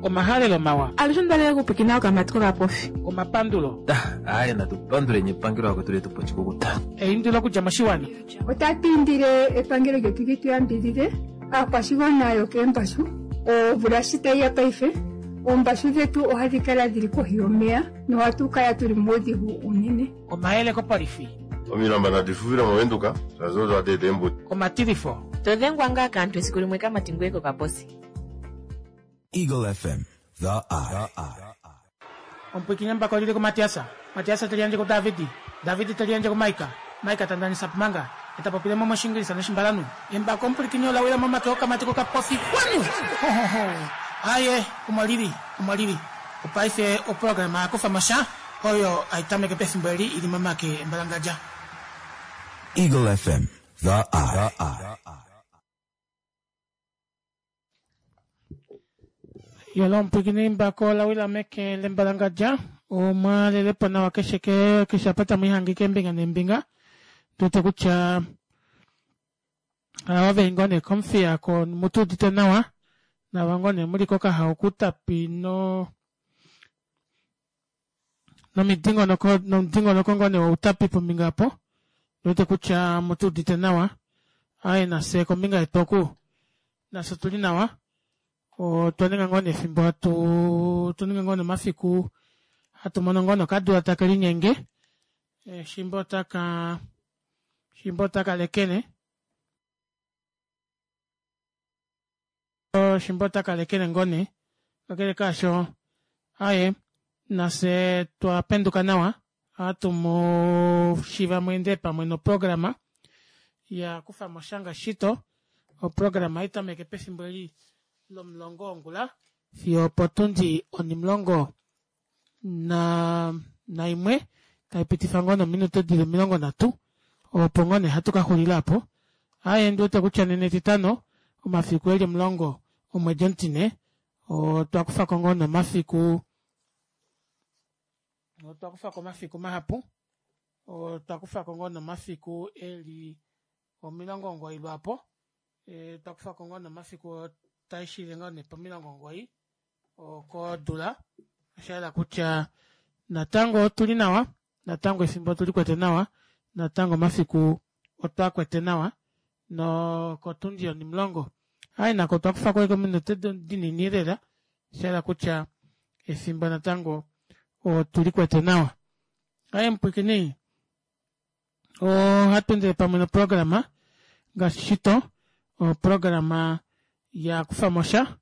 Omahalelo mawa. Alushe onda lela okupwikina okamati kokapofi. Omapandulo. Aaye natu panduleni epangelo akwetu letu po oshikukuta. Eindilo okudja moshiwana. Otatu indile epangelo lyetu li tu yambidhidhe aakwashigwana yokeembashu. Omvula shi tayi ya paife, oombashu dhetu ohadhi kala dhili kohi yomeya nohatu kala tuli muudhigu uunene. Omayele kopolifi. Omilamba nadi fufile mOvenduka, shaashi odo hadi eta eembuto. Omatilifo. To dhengwa ngaa kaantu esiku limwe kamati ngoye kokaposi. Eagle FM, the eye. Omupwiikini embako lili kuMatiasa, Matiasa te liyandje kuDavidi, Davidi te liyandje kuMaika, Maika ta ndanisa Pumanga, e ta popile mo mOshiingilisa nOshimbalanhu. Embako omupwilikini ola wila momake okamati kokapofi. Kwanu! Ho, ho, ho! Aye, omo li li, omo li li. Opaife oprograma ya kufa mo sha, oyo hai tameke pefimbo eli i li momake embalangadja. Eagle FM, the eye. Yolo omupwiikini mbako ola wila meke lembalangadja omwa lelepo nawa keshe ke keshe apa tamu ihange keembinga neembinga tuwete kutya ava veli ngoo nee komufia ko mutu udite nawa nava ngoo nee muli kokahao kutapi no nomidingonoko nomudingonoko ngoo nee woutapi pombinga opo wete kutya mutu udite nawa aye nafye kombinga yetu oku nafye otuli nawa otwa ninga ngoo nee efimbo hatu tu ninga ngoo nee omafiku hatu mono ngoo nee okadula take linyenge eh, shimba otaka shimba otaka lekene Shimba ota kalekele ngoo nee. Kakele kaasho, aye, nafye twa penduka nawa, ohatu mu shiva mu ende pamwe noprograma ya kufa mo sha ngaashi shito. Oprograma ohai tameke pefimbo eli lomulongo wongula fiyo opotundi onimulongo na naimwe tai pitifa ngoo nominute dili 30 opo ngoo nee hatu ka xulila apo. Aaye ndi wete kutya nena etitano omafiku eli 10 omwedi omutine otwa kufa ko ngoo nee omafiku otwa kufa ko omafiku mahapu otwa kufa ko ngoo nee omafiku eli 90 lwaapo e, twa kufa ko ngoo nee omafiku taishile ngoo nee po90 okodula osha yela kutya natango otu li nawa natango efimbo otu li kwete nawa natango omafiku otwa kwete nawa nokotundi yonimulongo ai nako otwa kufa ko ominute dinini lela osha yela kutya efimbo natango otu li kwete nawa aye mupwikini ohatu endele pamwe noprograma ngaashi shito oprograma ya kufa mo sha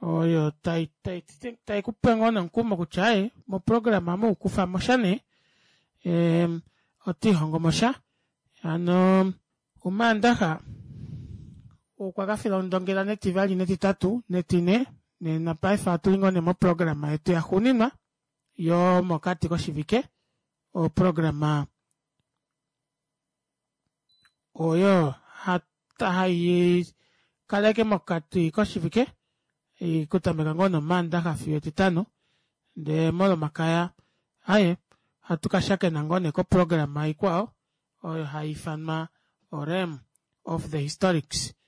oyo tai tai tai ku pe ngoo nomukumo kutya aye moprograma mu kufa mo sha nee oto ihongo mo sha hano omaandaxa okwa ka fila ondongela netivali netitatu netine nena paife ohatu li ngoo nee moprograma yetu yaxuuninwa yomokati koshivike Oprograma oyo hai kaleke mokati koshivike okutameka ngoo nOmaandaxa fiyo Etitano ndee mOlomakaya aye ohatu ka shakena ngoo nee koprograma ikwao oyo hai ifanwa oRealm of the Historics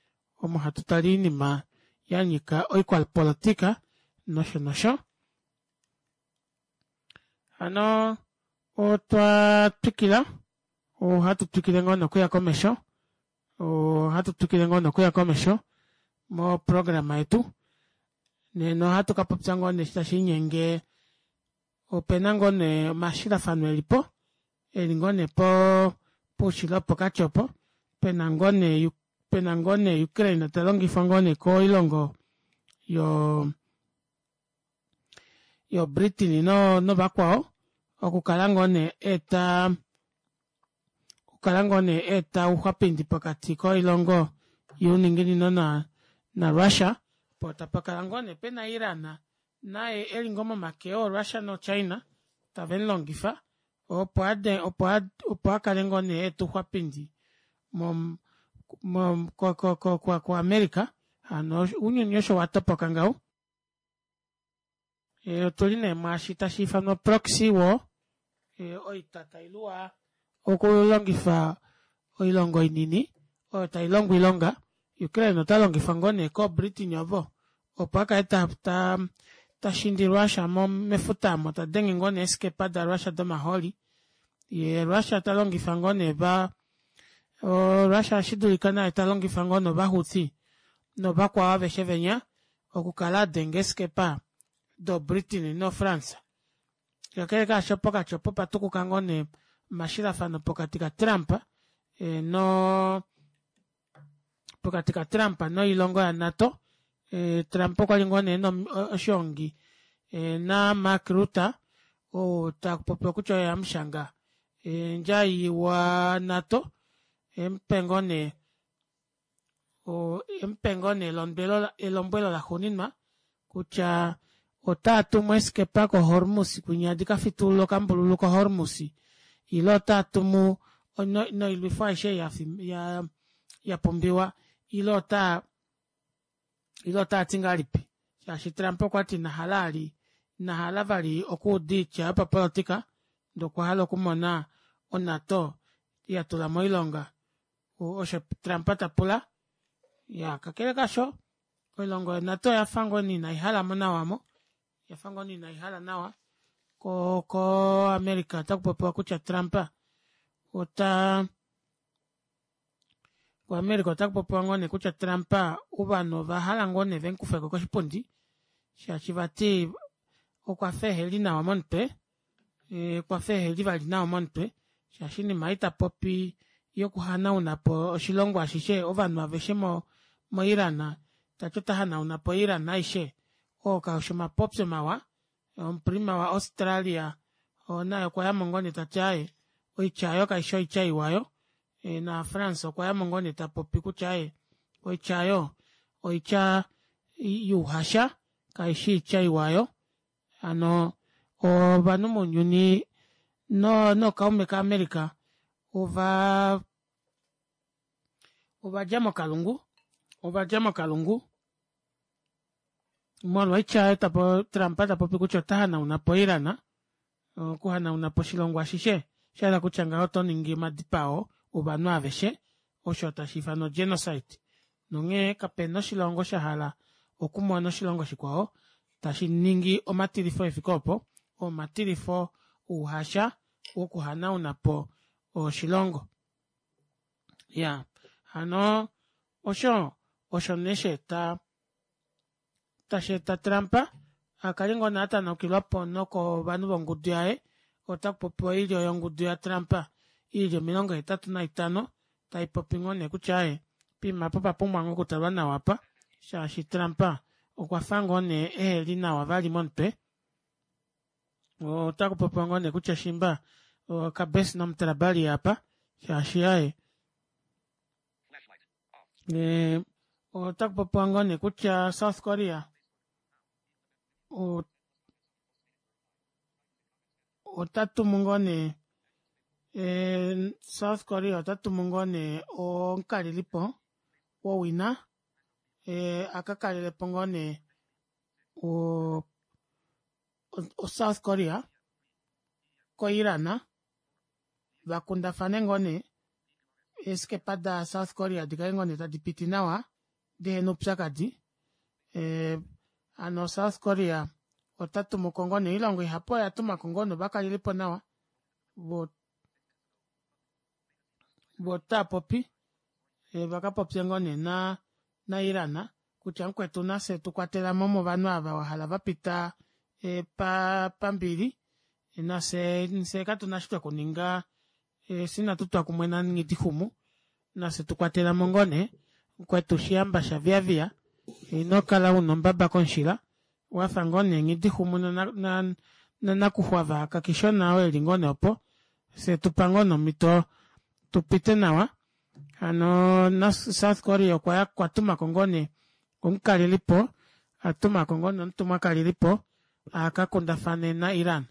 omo hatu tale oinima ya nyika oikwapolotika nosho nosho. Hano otwa twikila, ohatu twikile ngoo nokuya komesho, ohatu twikile ngoo nokuya komesho moprograma yetu. Nena ohatu ka popya ngoo nee tashi inyenge opena ngoo nee omashilafano elipo eli ngoo nee po poushilo wopokati opo pena ngoo nee pena ngoo nee Ukraine ta longifwa ngoo nee koilongo yo yo Britain no novakwao okukala ngoo nee eta okukala ngoo nee eta ouxwapindi pokati koilongo youninginino na na Russia po tapa kala ngoo nee pena Iran naye eli ngoo momake oo Russia no China tave mu longifa opo ade opo opo a kale ngoo nee eta ouxwapindi mo mo ko ko ko ko ko America hano ounyuni osho wa topoka ngaho. E, otu li nee mwaashi tashi ifanwa proxy war, e, oita tai luwa okulongifa oilongo inini oyo tai longo oilonga. Ukraine ota longifwa ngoo nee kooBritain ovo opo a kale ta, ta, Tashindi Russia mefuta omo tadenge ngoo nee eeskepa da Russia domahooli yee Russia talongifa ngoo nee Russia oshidulika naye talongifa ngoo nee ovahouthi novakwao aveshe venya okukala adenga eeskepa do Britain no France. Kakele kaasho pokati opo opatukuka ngoo nee omashilafano pokati ka Trump no pokati ka Trump noilongo ya NATO. Trump okwali ngoo nee oshoongi na Mark Rutte ou tapopiwa kutya oye hamushanga ndjai wa NATO emupe ngoo nee emupe ngoo nee elombwelo laxuuninwa kutya otaa tumu eeskepa ko Hormuz kwinya dikafitulule okambululu ko Hormuz ile otaa tumu noilwifo aishe yapumbiwa ile otaa ile otaati ngahelipi shaashi Trump okwati inahala ali inahala vali okuuda oitya yopapolitika ndee okwa hala okumona oNATO yatula moilonga osho Trump tapula. Iyaa kakele kaasho oilongo yoNATO oyafa ngoo nee inaihalamo nawa omo oyafa ngoo nee inaihala nawa ko ko America otakupopiwa kutya Trump ota ko America otakupopiwa ngoo nee kutya Trump ovanhu ovahala ngoo nee vemukufeko koshipundi shaashi vati okwafa eheli nawa momutwe okwafa eheli vali nawa momutwe shaashi oinima ei tapopi yokuhanaunapo oshilongo ashishe ovanhu aveshe mo Iran tati ota hanaunapo Iran aishe oo kaushi omapopyo mawa. Omuprima wa Australia naye okwayamo ngoo nee tati aaye oitya aayo kaishi oitya iwa aayo na France okwayamo ngoo nee tapopi kutya aaye oitya aayo oitya youhasha kaishi oitya iwa aayo hano ovanhu mounyuni nookaume ka America ova ovadja mokalungu ovadja mokalungu molwa oitya oyo Trump ta popi kutya ota hanauna po Iran okuhanauna po oshilongo ashishe oshahala kutya ngaho oto ningi omadipao ovanhu aveshe osho tashi ifanwa genocide nonghee kapena oshilongo shahala okumona oshilongo shikwao tashi ningi omatilifo efike opo omatilifo ouhasha wokuhanauna po oshilongo. Iyaa hano osho osho nee shaeta tasheeta Trump akale ngoo nee atanaukilwapo nokovanhu vongudu yaye otakupopiwa oilyo yongudu ya Trump ili 85 taipopi ngoo nee kutya aaye poima apa opapumbwa ngoo okutalwa nawa apa shaashi Trump okwafa ngoo nee eheli nawa vali momutwe. Otakupopiwa ngoo nee kutya shimba kabes nomutrabali apa shaashi aaye otakupopiwa ngoo nee kutya South Korea ota tumu ngoo nee South Korea ota tumu ngoo nee omukalelipo wowina akakalelepo ngoo nee o South Korea ko Iran vakundafane ngoo nee eeskepa da South Korea dikale ngoo nee tadipiti nawa dihena oupyakadi hano South Korea ota tumuko ngoo nee oilongo ihapu oya tumako ngoo nee ovakalelipo nawa voo otaapopi vakapopye ngoo nee na Iran kutya mukwetu nafye tukwatelamo movanhu ava wahala vapita pambili nafye katuna eshi twekuninga fyee inatutwa kumwe nanghidixumu nafye tukwatelamo ngoo nee mukwetu shihamba shaviaviya inokala una ombaba komushila wafa ngoo nee nghidixumu nanakuxwava kakishona oo eli ngoo nee opo fyee tupa ngoo nee omito tupite nawa hano South Korea okwatumako ngoo nee omukalelipo atumako ngoo nee omutumwa kalelipo akakundafane na Iran.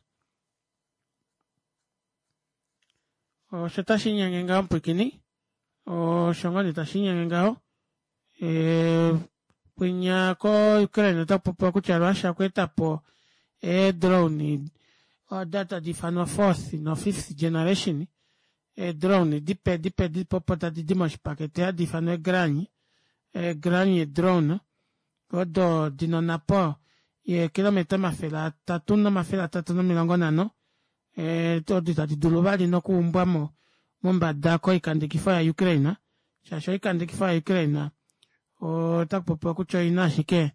Osho tashiinyenge ngaho mupwiikini osho ngoo nee tashiinyenge ngaho kwinya ko Ukraine otakupopiwa kutya Russia okweetapo ee drone odo tadi ifanwa fourth no fifth generation ee drone dipe dipe dipe opo tadidi moshipakete hadi ifanwa eegranny eegranny drone odo dina onapo. Yeekilometa 350 odo itadi dulu vali nokuumbwamo mombada koikandekifo ya Ukraine shaashi oikandekifo ya Ukraine otakupopiwa kutya oina ashike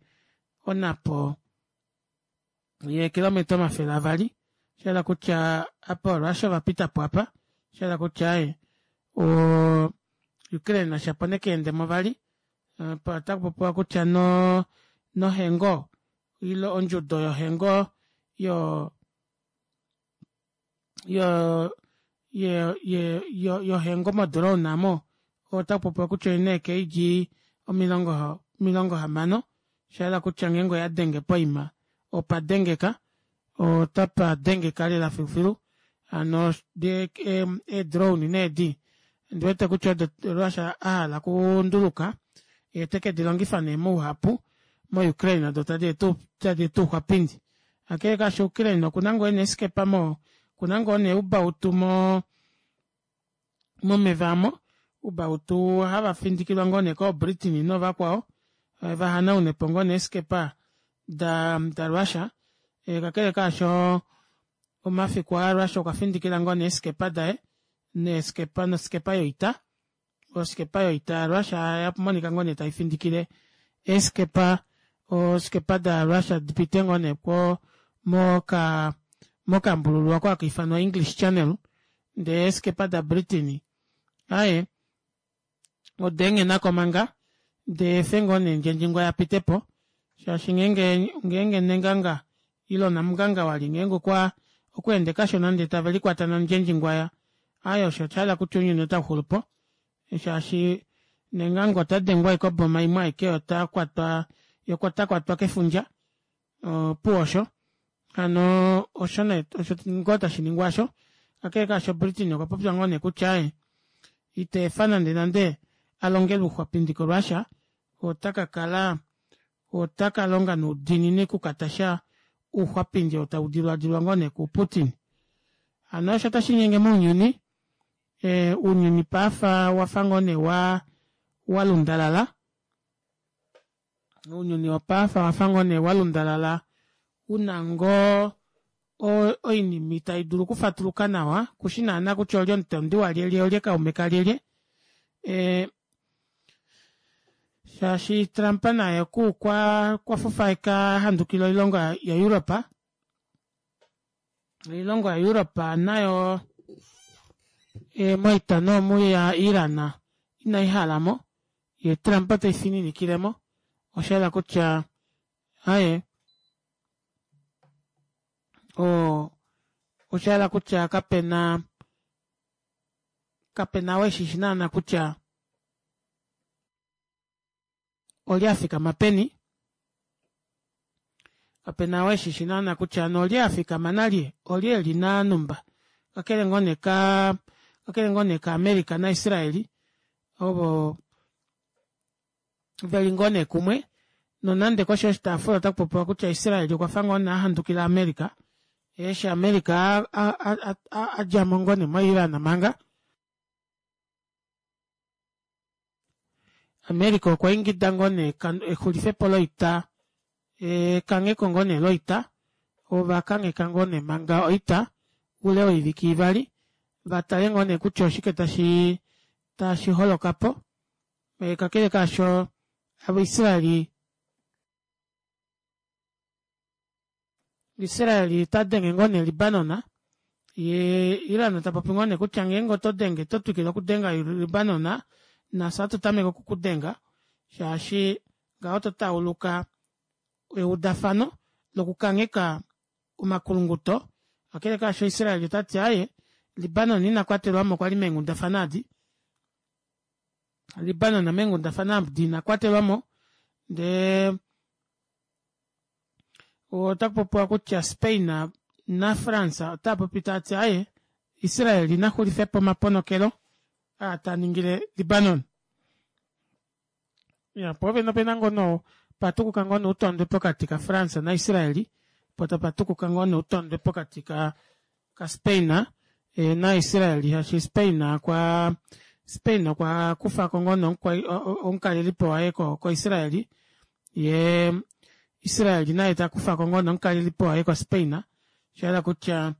onapo yeekilometa 200 shahala kutya apa Russia ovapitapo apa shahala kutya aaye Ukraine shapo nekeendemo vali otakupopiwa kutya nohengo ile ondjudo yohengo yo yo yo yo yohengo modrone aamo otakupopiwa kutya oina ee kg 60 shayela kutya ngeenge oyadenge poima opa dengeka otapa dengeka lela filufilu hano ee drone nee edi ondiwete kutya odo Russia ahala okunduluka yee tekedilongifa nee mouhapu mo Ukraine odo tadi eta ouxwapindi kakele kaasho Ukraine okuna ngoo neeskepa mo okuna ngoo nee oubautu mo momeva aamo oubautu hava findikilwa ngoo nee koo Britain noovakwao vahanaunepo ngoo nee eeskepa da Russia kakele kaasho omafiku aa Russia okwa findikila ngoo nee eeskepa daye noskepa yoita oskepa yoita ya Russia oyamonika ngoo nee taifindikile eeskepa oskepa da Russia dipite ngoo nee moka mokambululu oko haka ifanwa English Channel ndee eeskepa da Britain aaye odeenghenako manga deefe ngoo nee ndjendjingwa yapitepo shaashi ngeenge ngeenge nenganga ile namunganga wali ngeenge okwa okweende kashona ndee tavelikwata nandjendjingwaya aaye osho oshahala kutya ounyuni otauxulupo shaashi nenganga otadengwa ashike oboma imwe aike otakwatwa yee otakwatwa kefundja opuwo osho hano osho nee osho ngoo tashiningwa aasho kakele kaasho Britain okwa popya ngoo nee kutya aaye iteefa nande nande alongelwe ouxwapindi ko Russia otakakala otakalonga noudiinini okukatasha ouxwapindi oo taudilwadilwa ngoo nee ku Putin. Hano osho tashiinyenge mounyuni ounyuni paife owafa ngoo nee wa walundalala ounyuni wopaife owafa ngoo nee walundalala una ngoo oinima itaidulu okufatuluka nawa kushi naana kutya olye omutondi walyelye olye kaume kalyelye shaashi Trump naye okwa fufaeka ahandukila oilongo ya Europe oilongo ya Europe nayo moita noomu ya Iran inaihalamo ye Trump teifininikilemo oshayela kutya aaye oshayela kutya kapena kapena oo eshishi naana kutya olye afikama peni kapena oo eshishi naana kutya hano olye afikama nalye olye eli nanumba kakele ngoo nee ka kakele ngoo nee ka America na Israeli ovo veli ngoo nee kumwe nonande koshi yoshitaafula ota kupopiwa kutya Israeli okwafa ngoo nee ahandukila America eshi America adjamo ngoo nee mo Iran manga America okwa ingida ngoo nee exulifepo loita ekangheko ngoo nee loita ovakangheka ngoo nee manga oita oule woivike ivali vatale ngoo nee kutya oshike tashi tashi holokapo kakele kaasho Israeli Israel ta denge ngoo nee Libanon ye Iran ta popi ngoo nee kutya ngeenge oto denge oto twikile okudenga Libanon nafye ohatu tameke okukudenga shaashi ngaho oto tauluka eudafano lokukangheka omakulunguto kakele kaasho Israel otati aaye Libanon ina kwatelwamo kwali meenghundafana adi Libanon meenghundafana adi ina kwatelwamo ndee Otaku popiwa kutya Spain naFrance otaya popi taya ti aye Israel ina xulife po omaponokelo aa ta ningile Libanon. Ya po vene opena ngoo no patukuka ngoo noutondwe pokati kaFrance naIsrael po tapatukuka ngoo noutondwe pokati ka kaSpain naIsrael shaashi Spain okwa Spain okwa kufako ngoo nee omukalelipo waye koIsrael yee. Israel naye takufako ngoo nee omukalelipo waye ko Spain oshahala kutya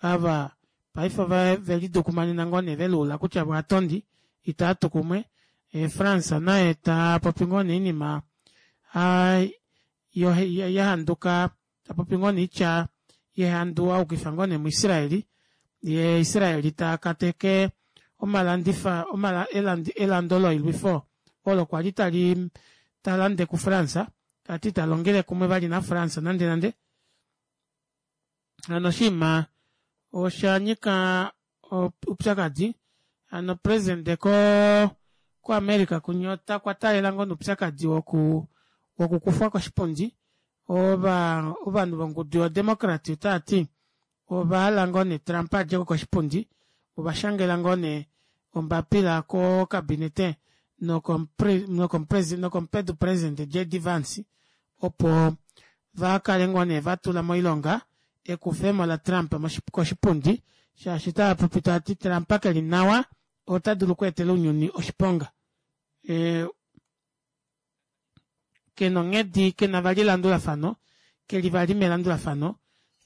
ava paife ovelidukumanena ngoo nee veluula kutya voo ovatondi itaatu kumwe France naye tapopi ngoo nee oinima yahanduka tapopi ngoo nee oitya yehandu ayukifa ngoo nee mu Israel yee Israel takateke omalandifa elando loilwifo olo kwali tali talande ku France tati italongele kumwe vali na france nande nande hano oshinima oshanyika oupyakadi hano president ko ko america kunya okwa taalela ngoo nee oupyakadi woku wokukufwa koshipundi ova ovanhu vongudu yo democrat otaati ovahala ngoo nee Trump adjeko koshipundi ovashangela ngoo nee ombapila ko cabinet nokomupedu president JD Vance opo vakale ngoo nee vatula moilonga ekufemo la Trump koshipundi shaashi otavapopi tavati Trump keli nawa ota dulu okweetela ounyuni oshiponga. Kena onghedi kena vali elandulafano keli vali melandulafano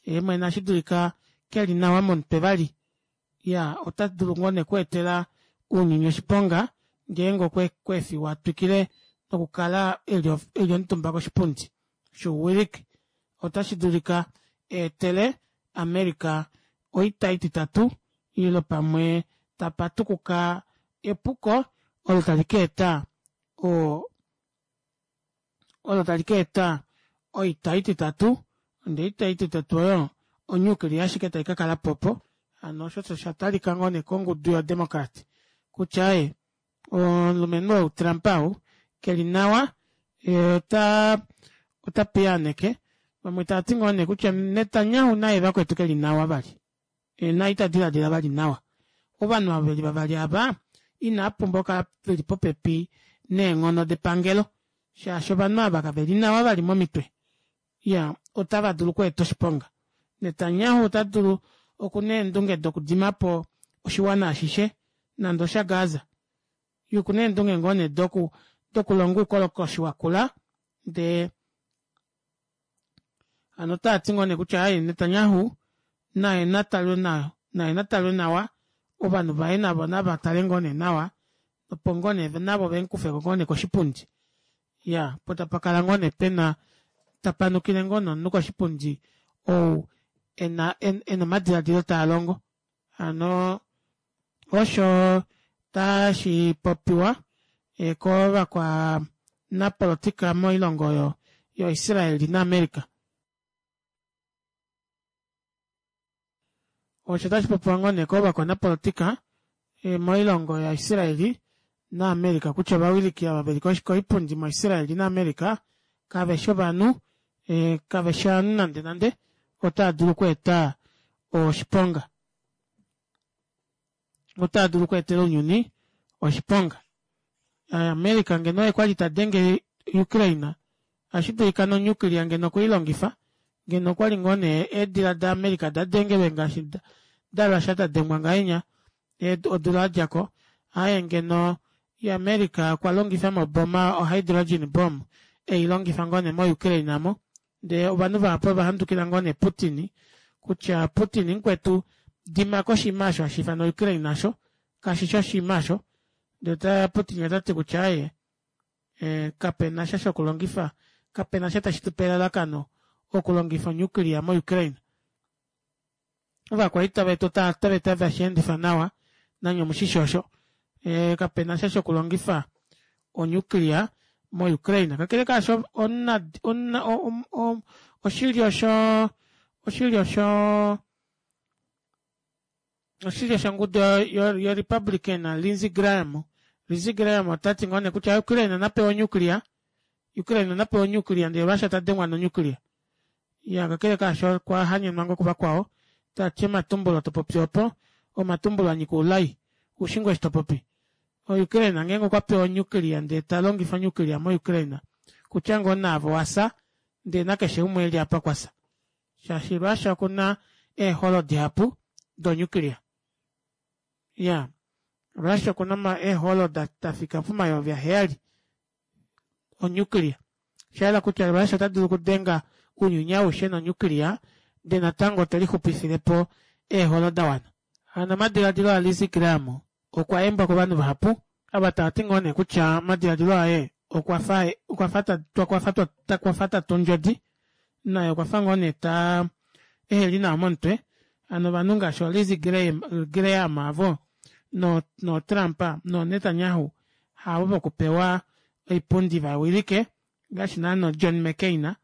yeemwene otashi dulika keli nawa momutwe vali iyaa ota dulu ngoo nee okweetela ounyuni oshiponga ngeenge okwa efiwa atwikile nokukala eli omutumba koshipundi shouwiliki otashi dulika eetele America oita ititatu ile pamwe tapa tukuka epuko olo tali kaeta oo olo tali ka eta oita ititatu ndee oita ititatu oyo onuclear ashike tai kakalapo opo hano osho osho shatalika ngoo nee kongudu yo democrat kutya aaye omulumenhu ou Trump ou keli nawa yee ota ota piyaaneke vamwe tavati ngoo nee kutya Netanyahu naye vakwetu keli nawa vali naye ita diladila vali nawa. Ovanhu ava veli vavali ava inava pumbwa okukala veli popepi neenghono depangelo shaashi ovanhu ava kave li nawa vali momitwe. Iya, otava dulu okweeta oshiponga. Netanyahu ota dulu okuna eendunge dokudima po oshiwana ashishe nande oshaGaza. Ye okuna eendunge ngoo nee doku dokulonga oukolokoshi wakula ndee Hano otava ti ngoo nee kutya aaye Netanyahu naye natalwe nawa, naye natalwe nawa, ovanhu vaye navo nava tale ngoo nee nawa opo ngoo nee navo vemukufeko ngoo nee koshipundi. Iyaa, po tapa kala ngoo nee pena tapa nukile ngoo nee omunhu koshipundi ou ena ena omadiladilo taa longo. Hano osho tashi popiwa kovakwanapolitika moilongo oyo yoIsrael naAmerica. Osho tashi popiwa ngoo nee kovakwanapolitika moilongo yaIsrael naAmerica kutya ovawiliki ava veli koipundi moIsrael naAmerica kave shi ovanhu, kave shi ovanhu nande nande, otava dulu okweeta oshiponga. Otaa dulu okweetela ounyuni oshiponga. America ngeno oye kwali ta denge Ukraine, ohashi dulika nonuclear ngeno okwe i longifa, ngeno okwali ngoo nee eedila daAmerica da dengelwe ngaashi daRussia da dengwa ngahenya odula yadjako. Aaye ngeno America okwa longifa moboma ohydrogen bomb ei longifa ngoo nee moUkraine amo, Ndee ovanhu vahapu ova handukila ngoo nee Putin kutya Putin mukwetu dima ko oshinima osho hashi ifanwa Ukraine osho kashi shi oshinima osho. Ndee ta Putin ota ti kutya aaye eh, kape na sha shokulongifa, kape na sha tashi tu pe elalakano okulongifa onuclear moUkraine. Ovakwaita vetu otave tave shi endifa nawa, nanye omushishi osho. E, kape na sha shokulongifa onuclear moUkraine. Kakele kaasho, omuna, omuna, oshilyo sho, oshilyo sho, oshilyo shongudu yoRepublican Lindsey Graham, Lindsey Graham ota ti ngoo nee kutya Ukraine na pewe onuclear, Ukraine na pewe onuclear ndele Russia ta dengwa nonuclear. Iya, kakele kaasho okwa hanyenwa ngoo kuvakwao, ta ti omatumbulo to popi opo, omatumbulo a nyika oulai. Oushi ngoo eshi to popi? OUkraine ngeenge okwa pewa onuclear ndee ta longifa onuclear moUkraine, kutya ngoo naave owa fya, ndee nakeshe umwe e li apa okwa fya. Shaashi Russia oku na eeholo dihapu donuclear. Iya, Russia oku na eeholo da fika pomayovi aheyali onuclear. Oshayela kutya Russia ota dulu okudenga ounyuni aushe nonuclear ndee natango te lixupifilepo eeholo da wana. Hano omadiladilo aLindsey Graham okwa yembwa kovanhu vahapu, ava tava ti ngoo nee kutya omadiladilo aye okwa fa okwa fa okwa fa okwa fa ta tu ondjodi, naye okwa fa ngoo nee ta eheli nawa momutwe. Hano ovanhu ngaashi oLindsey Graham, Graham avo no nooTrump nooNetanyahu havo vokupewa oipundi va wilike ngaashi naana John McCain.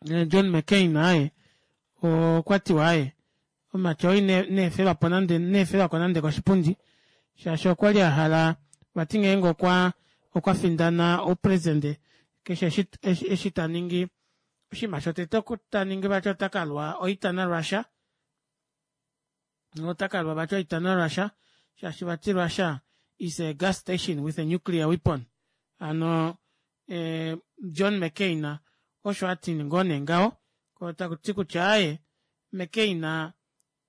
John McCain aye okwa tiwa aye omumati oo ine efelwa po nande ine efelwa ko nande koshipundi shaashi okwa li a hala vati ngeenge okwa okwa findana oupresidente keshe eshi, eshi, eshi ta ningi oshinima shotete ta ningi vati ota ka lwa oita naRussia ota ka lwa vati oita naRussia shaashi vati Russia is a gas station with a nuclear weapon hano eh, John McCain osho a ti ngoo nee ngaho ko taku ti kutya aye McCain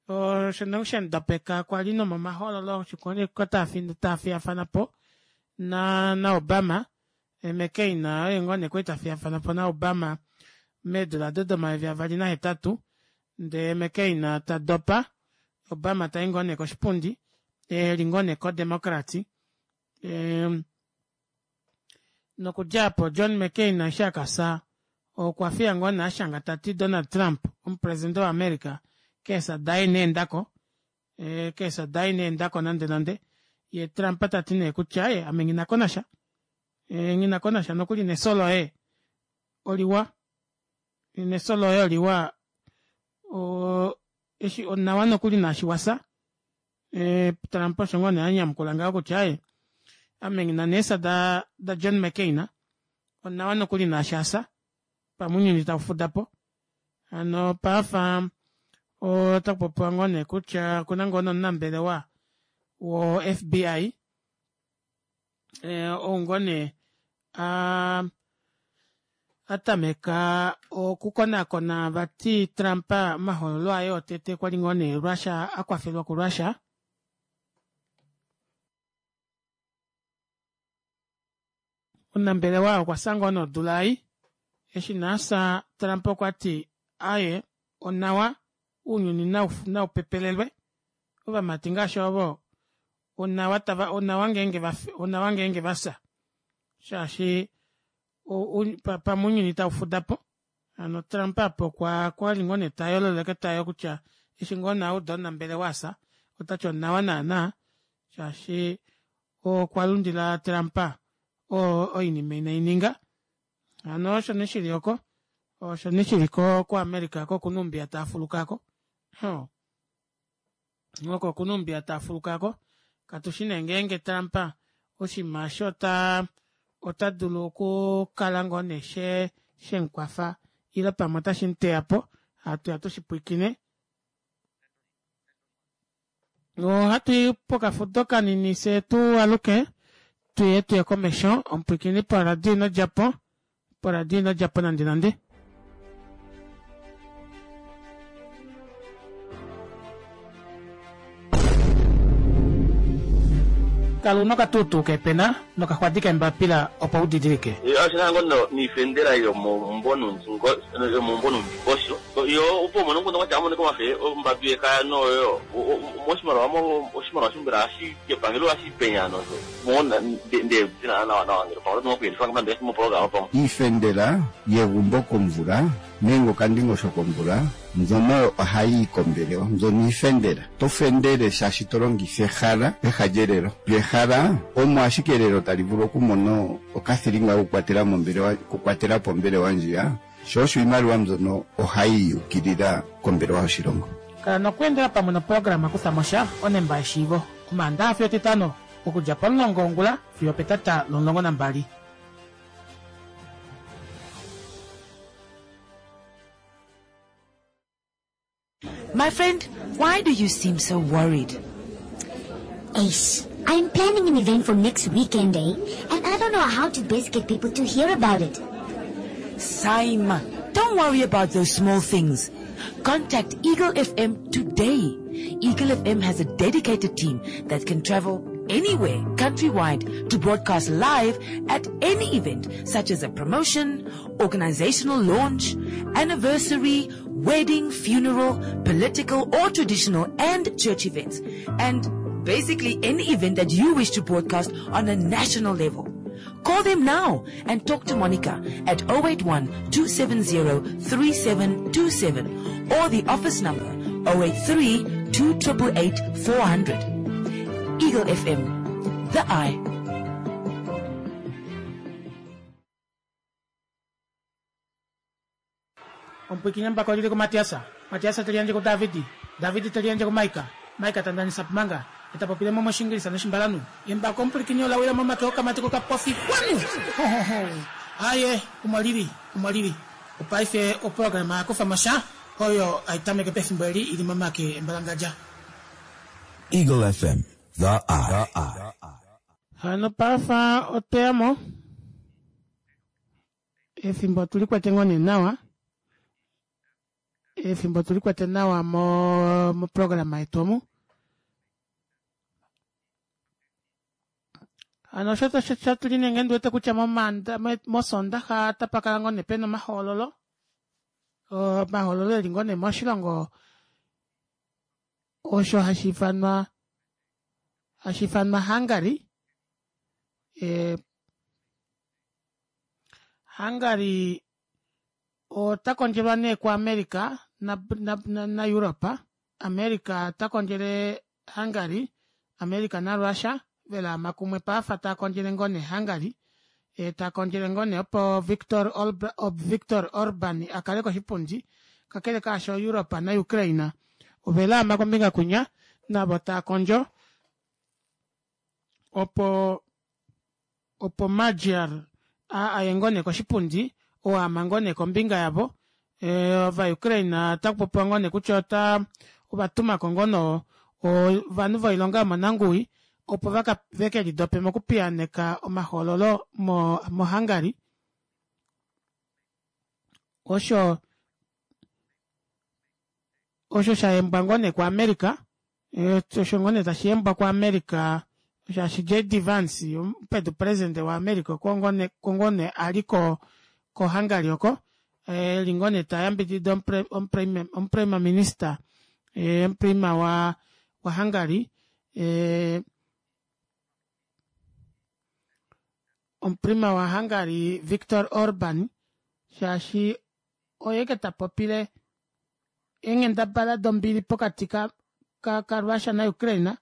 osho nee shamudapeka kwa li nomomahoololo osho taa fiyafana po na naObama eh, McCain oye ngoo nee kwali ta fiyafana po naObama meedula ado domayovi 2008 ndee McCain ta dopa Obama tai ngoo nee koshipundi eli ngoo nee koDemocrats eh, Nokudja apo John McCain eshi a ka fya, okwa fiya ngoo nee a shanga ta ti Donald Trump, omupresidente waAmerica, keefya daye ina enda ko. Keefya daye ina enda ko nande nande. Ye Trump ta ti nee kutya ye ame nghi na ko nasha. Nghi na ko nasha nokuli nefyo loye oliwa. Nefyo loye oliwa eshi onawa nokuli naashi wa fya. Trump osho ngoo nee a nyamukula ngaho kutya aye ame nghi na neefya da, da John McCain onawa nokuli naashi a fya pamwe ounyuni tau fuda po. Hano paafa otaku popiwa ngoo nee kutya okuna ngoo nomunambelewa wo FBI ou ngoo nee a a tameka okukonakona vati Trump omahoololo aye otete kwa li ngoo nee Russia a kwafelwa kuRussia. Omunambelewa okwa fya ngoo nee odula ei. Eshi nee a fya Trump okwa ti aye onawa ounyuni nau pepelelwe ovamati ngaashi ovo onawa tava onawa ngeenge va onawa ngeenge va fya shaashi pamwe ounyuni tau fuda po. Hano Trump apa okwa kwa li ngoo nee ta yololeke tayo kutya eshi ngoo nee a uda omunambelewa a fya ota ti onawa naana shaashi okwa lundila Trump oinima inai ninga. Hano osho nee shili oko osho nee shili ko kuAmerica ko okuna oumbiya taa fuluka ko. Oko okuna oumbiya taa fuluka ko. Katu shi nee ngeenge Trump oshinima osho ota ota dulu okukala ngoo nee she shemukwafa ile pamwe otashi mu teya po. Hatu ya tushi pwiikine. Ohatu i pokafudo kanini fye tu aluke tuye tuye komesho. Omupwiikini poradio ino dja po, poradio ino dja po nande nande. Kala una okatuutuu keepena nokaxwadi keembapila opo u didilike. Osho ngo niifendela yomombonundingosho yo opo umone omukundu ngwatya amoneka wafe ombambi yekaya noyo moshimaliwa mo oshimaliwa shombela ashi kepangelo ashi penya nosho mo nde dina nawa nawa ngele pamwe oto kuyelifa nande moprograma pamwe. Iifendela yegumbo komvula nenge okandingosho komvula mbyono ohayi yi kombelewa mbyono iifendela. To fendele shaashi to longitha ehala peha lyelelo. Lyo ehala omo ashike elelo tali vulu okumona okathilinga kokukwatela mombelewa okukwatela po ombelewa ndjiya, sho osho iimaliwa mbyono ohayi yukilila kombelewa yoshilongo. Kala nokweendela pamwe noprograma Kutha mo sha, onemba yeshiivo, Omaandaxa fiyo Etitano, okudja pomulongo wongula fiyo opetata lomulongo nambali. My friend, why do you seem so worried? Ace, I'm planning an event for next weekend, eh? And I don't know how to best get people to hear about it. Saima, don't worry about those small things. Contact Eagle FM today. Eagle FM has a dedicated team that can travel anywhere countrywide to broadcast live at any event such as a promotion, organizational launch, anniversary, wedding, funeral, political or traditional and church events. And basically any event that you wish to broadcast on a national level. Call them now and talk to Monica at 081 270 3727 or the office number 083 288 400. Eagle FM, the eye. Omupwiikini embako olili kuMatiasa, Matiasa te liyandje kuDavidi, Davidi te liyandje kuMaika, Maika ta ndanisa Pumanga, ye ta popile mo mOshingilisa nOshimbalanhu. Embako omupwilikini ola wila momake okamati kokapofi kwanu! Ho, ho, ho! Aaye, omo lili, omo lili. Opaife oprograma ya kufa mo sha, oyo hai tameke pefimbo eli i li momake embalangadja. Eagle FM, The Eye. Hano pafa otwe ya mo. Efimbo otu li kwete ngoo nee nawa. Efimbo otu li kwete nawa mo moprograma yetu omu. Hano osho osho tuli nee ngee ndi wete kutya momanda mosondaxa otapa kala ngoo nee pena omahoololo. Omahoololo eli ngoo nee moshilongo osho hashi ifanwa hashi ifanwa Hungary. E, Hungary ota kondjelwa nee kuAmerica na, na, na, na Europa. America ota kondjele Hungary, America naRussia velaama kumwe paafa taa kondjele ngoo nee Hungary. E, ta kondjele ngoo nee opo Viktor, Olb, Viktor Orban a kale koshipundi. Kakele kaasho Europa naUkraine ovelaama kombinga kwinya navo taa kondjo opo opo Magyar a aye ngoo nee koshipundi oo ama ngoo nee kombinga yavo. E, Ovaukraine otaku popiwa ngoo nee kutya ota ova tumako ngoo no ovanhu voilonga yomonanguwi opo vaka veke lidope mokupiyaaneka omahoololo mo moHungary. Osho osho sha yembwa ngoo nee kuAmerica Osho ngoo nee tashi yembwa kuAmerica shaashi JD Vance omupedu presidente waAmerica oko ngoo nee a li ko koHungary oko e li ngoo nee ta yambidida omuprima minista omuprima wa waHungary omuprima waHungary Viktor Orban shaashi oye ke ta popile eenghendabala dombili pokati ka ka ka Russia na Ukraine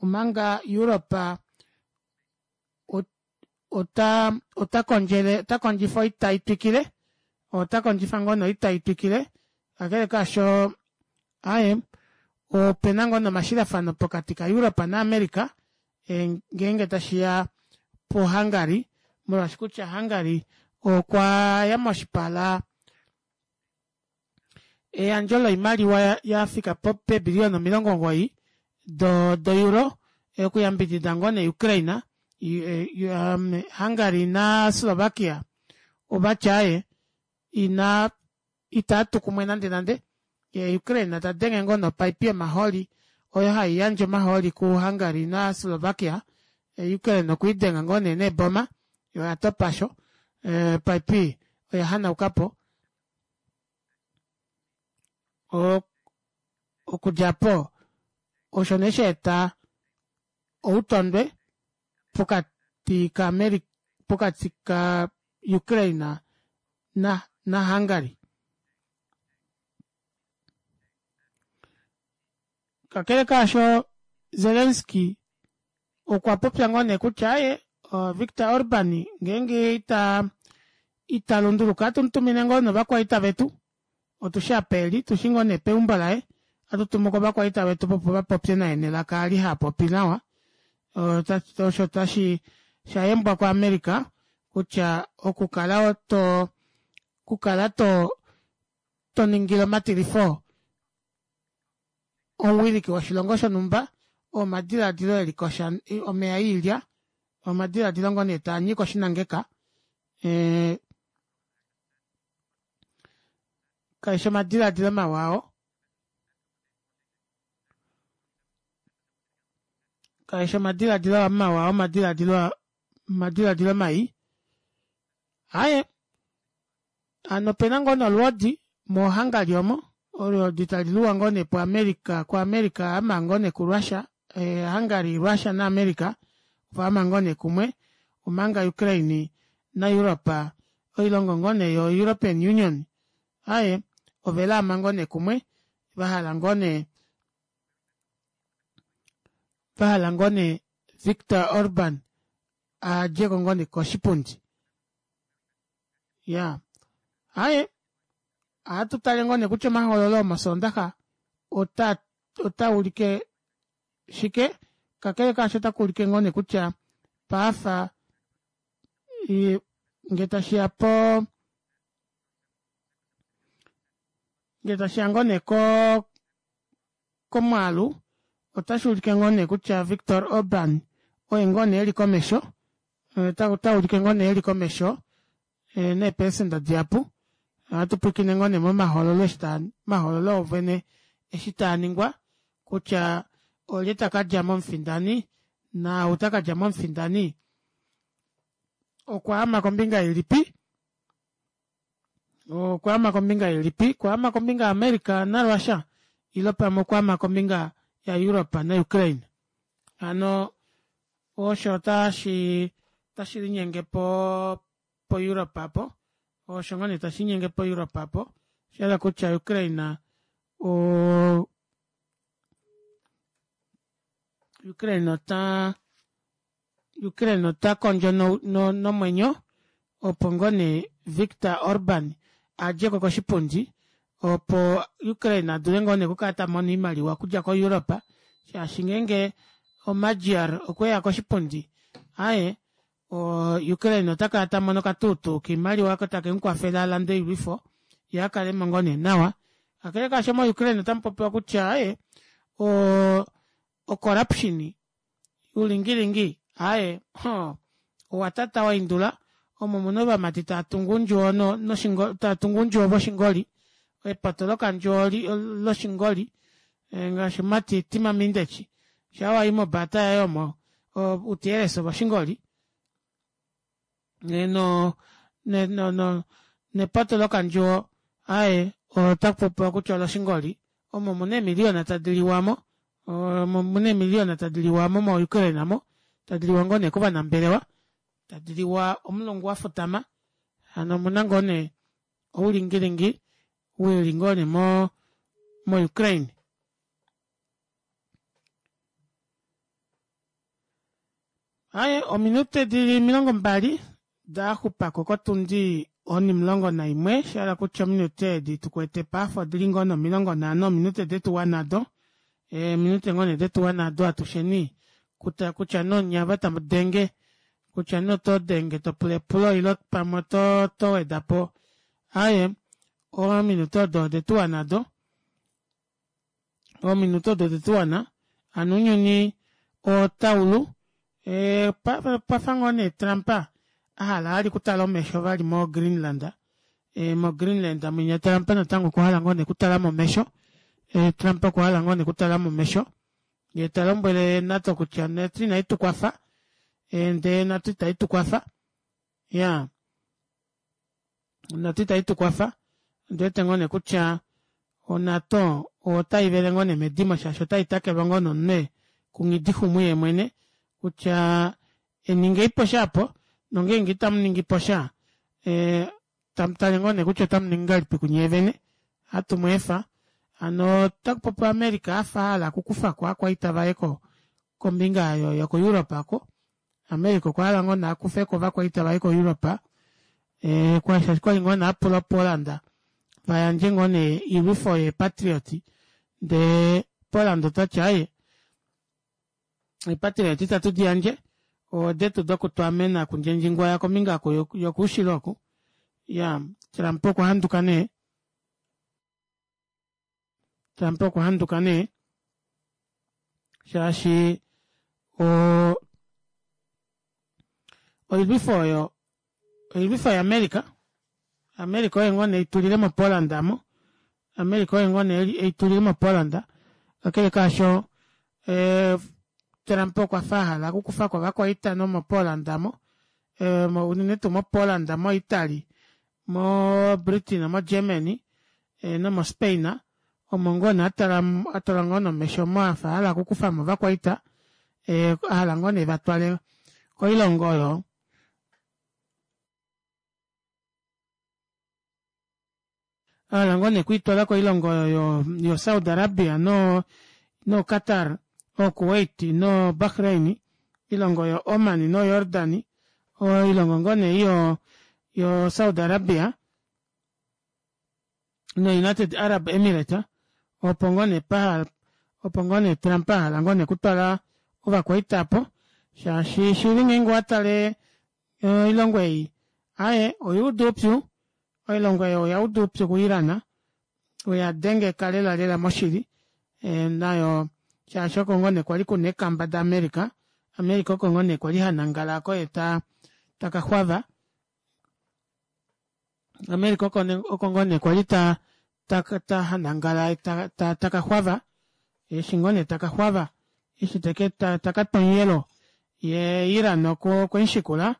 omanga Europe ota ota kondjele ota kondjifa oita itwikile ota kondjifa ngoo noita itwikile kakele kaasho aye opena ngoo nomashilafano pokati ka Europe na America e, ngeenge tashiya po Hungary molwaashi kutya Hungary okwa ya moshipala Eyandjo loimaliwa ya fika po peebiliyona 90 do doeuro okuyambidida ngoo nee Ukraine, Hungary na Slovakia ovati aaye ina itaa tu kumwe nande nande. Ye Ukraine ta denge ngoo nopaipi yomahooli oyo hai yandje omahooli ku Hungary na Slovakia, Ukraine okwe i denga ngoo nee neeboma, yo oya topa sho opaipi oya hanauka po. Okudja po, osho nee sha eta outondwe pokati kaAmerica pokati kaUkraine na naHungary. Kakele kaasho, Zelensky okwa popya ngoo nee kutya ye Viktor Orban ngeenge ita ita lunduluka atu mu tumine ngoo novakwaita vetu otushi apa eli tushi ngoo nee peumbo laye atu tumu ko ovakwaita vetu opo va popye naye nelaka ali ha popi nawa osho tashi sha yembwa kuAmerica kutya okukala to okukala to to ningile omatilifo omuwiliki woshilongo shonhumba oo omadiladilo e li kosha omeya iilya omadiladilo ngoo nee taa nyika oshinangeka e, kaishi omadiladilo mawa oo. Kaeshi omadiladilo mawa omadiladilo omadiladilo mai. Aaye hano opena ngoo nolwoodi moHungary omo olwoodi tali luwa ngoo nee puAmerica kuAmerica ama ngoo nee kuRussia Hungary Russia naAmerica ovaama ngoo nee kumwe omanga Ukraine naEurope oilongo ngoo nee yo European Union aaye ovelaama ngoo nee kumwe vahala ngoo nee vahala ngoo nee Viktor Orban adjeko ngoo nee koshipundi ya aaye ohatu tale ngoo nee kutya omahoololo omosoondaxa ota ota ulike shike kakele kaasho ota kuulike ngoo nee kutya paafa ngee tashiya po ngee tashiya ngoo nee ko komwaalu otashi ulike ngoo nee kutya Viktor Orban oye ngoo nee eli komesho ota ulike ngoo nee eli komesho neepelecenta dihapu ohatu pwilikine ngoo nee momahoololo eshi taa omahoololo ovene eshi taa ningwa kutya olye ta ka dja mo omufindani naau ta ka dja mo omufindani okwaama kombinga ilipi okwaama kombinga ilipi okwaama kombinga yaAmerica naRussia ile pamwe okwaama kombinga yaEurope naUkraine hano osho otashi otashi linyenge po poEurope apo osho ngoo nee tashi linyenge poEurope apo osha kutya Ukraine o Ukraine ota Ukraine ota kondjo nomwenyo opo ngoo nee Viktor Orban adjeko koshipundi opo Ukraine adule ngoo nee okukala tamono oimaliwa okudja ko Europe shaashi ngeenge oMagyar okweya koshipundi aaye Ukraine ota kala tamono okatuutuu koimaliwa oko take mukwafele alande oilwifo yee akalemo ngoo nee nawa. Kakele kaasho mo Ukraine otamu popiwa kutya aaye o corruption oulingilingi aaye owa tata waindula omo muna ovamati tava tungu oundjuwo tava tungu oundjuwo voshingoli epoto lokandjuwo loshingoli ngaashi omumati Tim Mindeci shaa wayi mobaata yaye omo utieres voshingoli no no nepoto lokandjuwo aaye otakupopiwa kutya oloshingoli omo muna eemiliyona tadi liwamo omo muna eemiliyona tadi liwamo mo Ukraine mo tadi liwa ngoo nee kovanambelewa tadi liwa omulungu wafutama hano omuna ngoo nee oulingilingi wili ngoo nee mo mo Ukraine. Aye ominute dili 20 daxupako kotundi onimulongo naimwe shahala kutya ominute edi tukwete paife odili ngoo nee 50 ominute detuwa nado eeminute ngoo nee detuwa nado atusheni kutya nee onye ava tamu denge kutya nee oto denge topula epulo ile pamwe oto wedapo aaye ominute odo odetuwa nado ominute odo odetuwana hano ounyuni otaulu pafa ngoo nee Trump ahala vali okutala omesho vali mo Greenland mo Greenland mwinya Trump natango okwahala ngoo nee okutalamo omesho Trump okwahala ngoo nee okutalamo omesho yee talombwele NATO kutya NATO inai tukwafa ndee NATO itai tukwafa ya NATO itai tukwafa ondiwete ngoo nee kutya oNATO otai vele ngoo nee medimo shaashi otai takelwa ngoo nomunwe kunghidixumu yeemwene kutya eningeipo sha apo nongeenge itamu ningipo sha tamu tale ngoo nee kutya otamu ningi ngahelipi kunyeevene ohatu mu efa hano otakupopiwa America afa ahala okukufako ovakwaita vaye kombinga yoko Europe oko America okwa hala ngoo nee akufeko ovakwaita vaye ko Europe shaashi kwali ngoo nee apula Poland vayandje ngoo nee oilwifo yeepatriot ndee Poland otati aaye eepatriot itatu diyandje odetu dokutwaamena kundjendjingwaya kombinga yokoushilo oku ya Trump okwa handuka nee Trump okwa handuka nee shaashi oilwifo oyo oilwifo yaAmerica America oye ngoo nee eitulile moPoland mo America oye ngoo nee eitulile moPoland kakele kaasho. Trump okwa fa ahala okukufako ovakwaita nomoPoland mo unene tuu moPoland, moItaly, moBritain, moGermany nomoSpain omo ngoo nee atala ngoo nomesho omo afa ahala okukufamo ovakwaita ahala ngoo nee vatwale koilongo oyo ahala ngoo nee okwiitwala koilongo oyo yo Saudi Arabia no no Qatar, o Kuwait no Bahrain, oilongo yo Oman no Jordan, oilongo ngoo nee yo yo Saudi Arabia no United Arab Emirates opo ngoo nee pahala opo ngoo nee Trump ahala ngoo nee okutwala ovakwaita apo shaashi shili ngeenge owatale oilongo ei aaye oyuuda oupyu oilongo ei oya uda oupyu ku Iran oya dengeka lela lela moshili nayo shaashi oko ngoo nee kwali kuna eekamba da America, America oko ngoo nee kwali hanangala oko yee taka xwava America oko ngoo nee kwali ta ta hanangala taka xwava eshi ngoo nee taka xwava eshi teke taka twa omuyelo ye Iran okwemushikula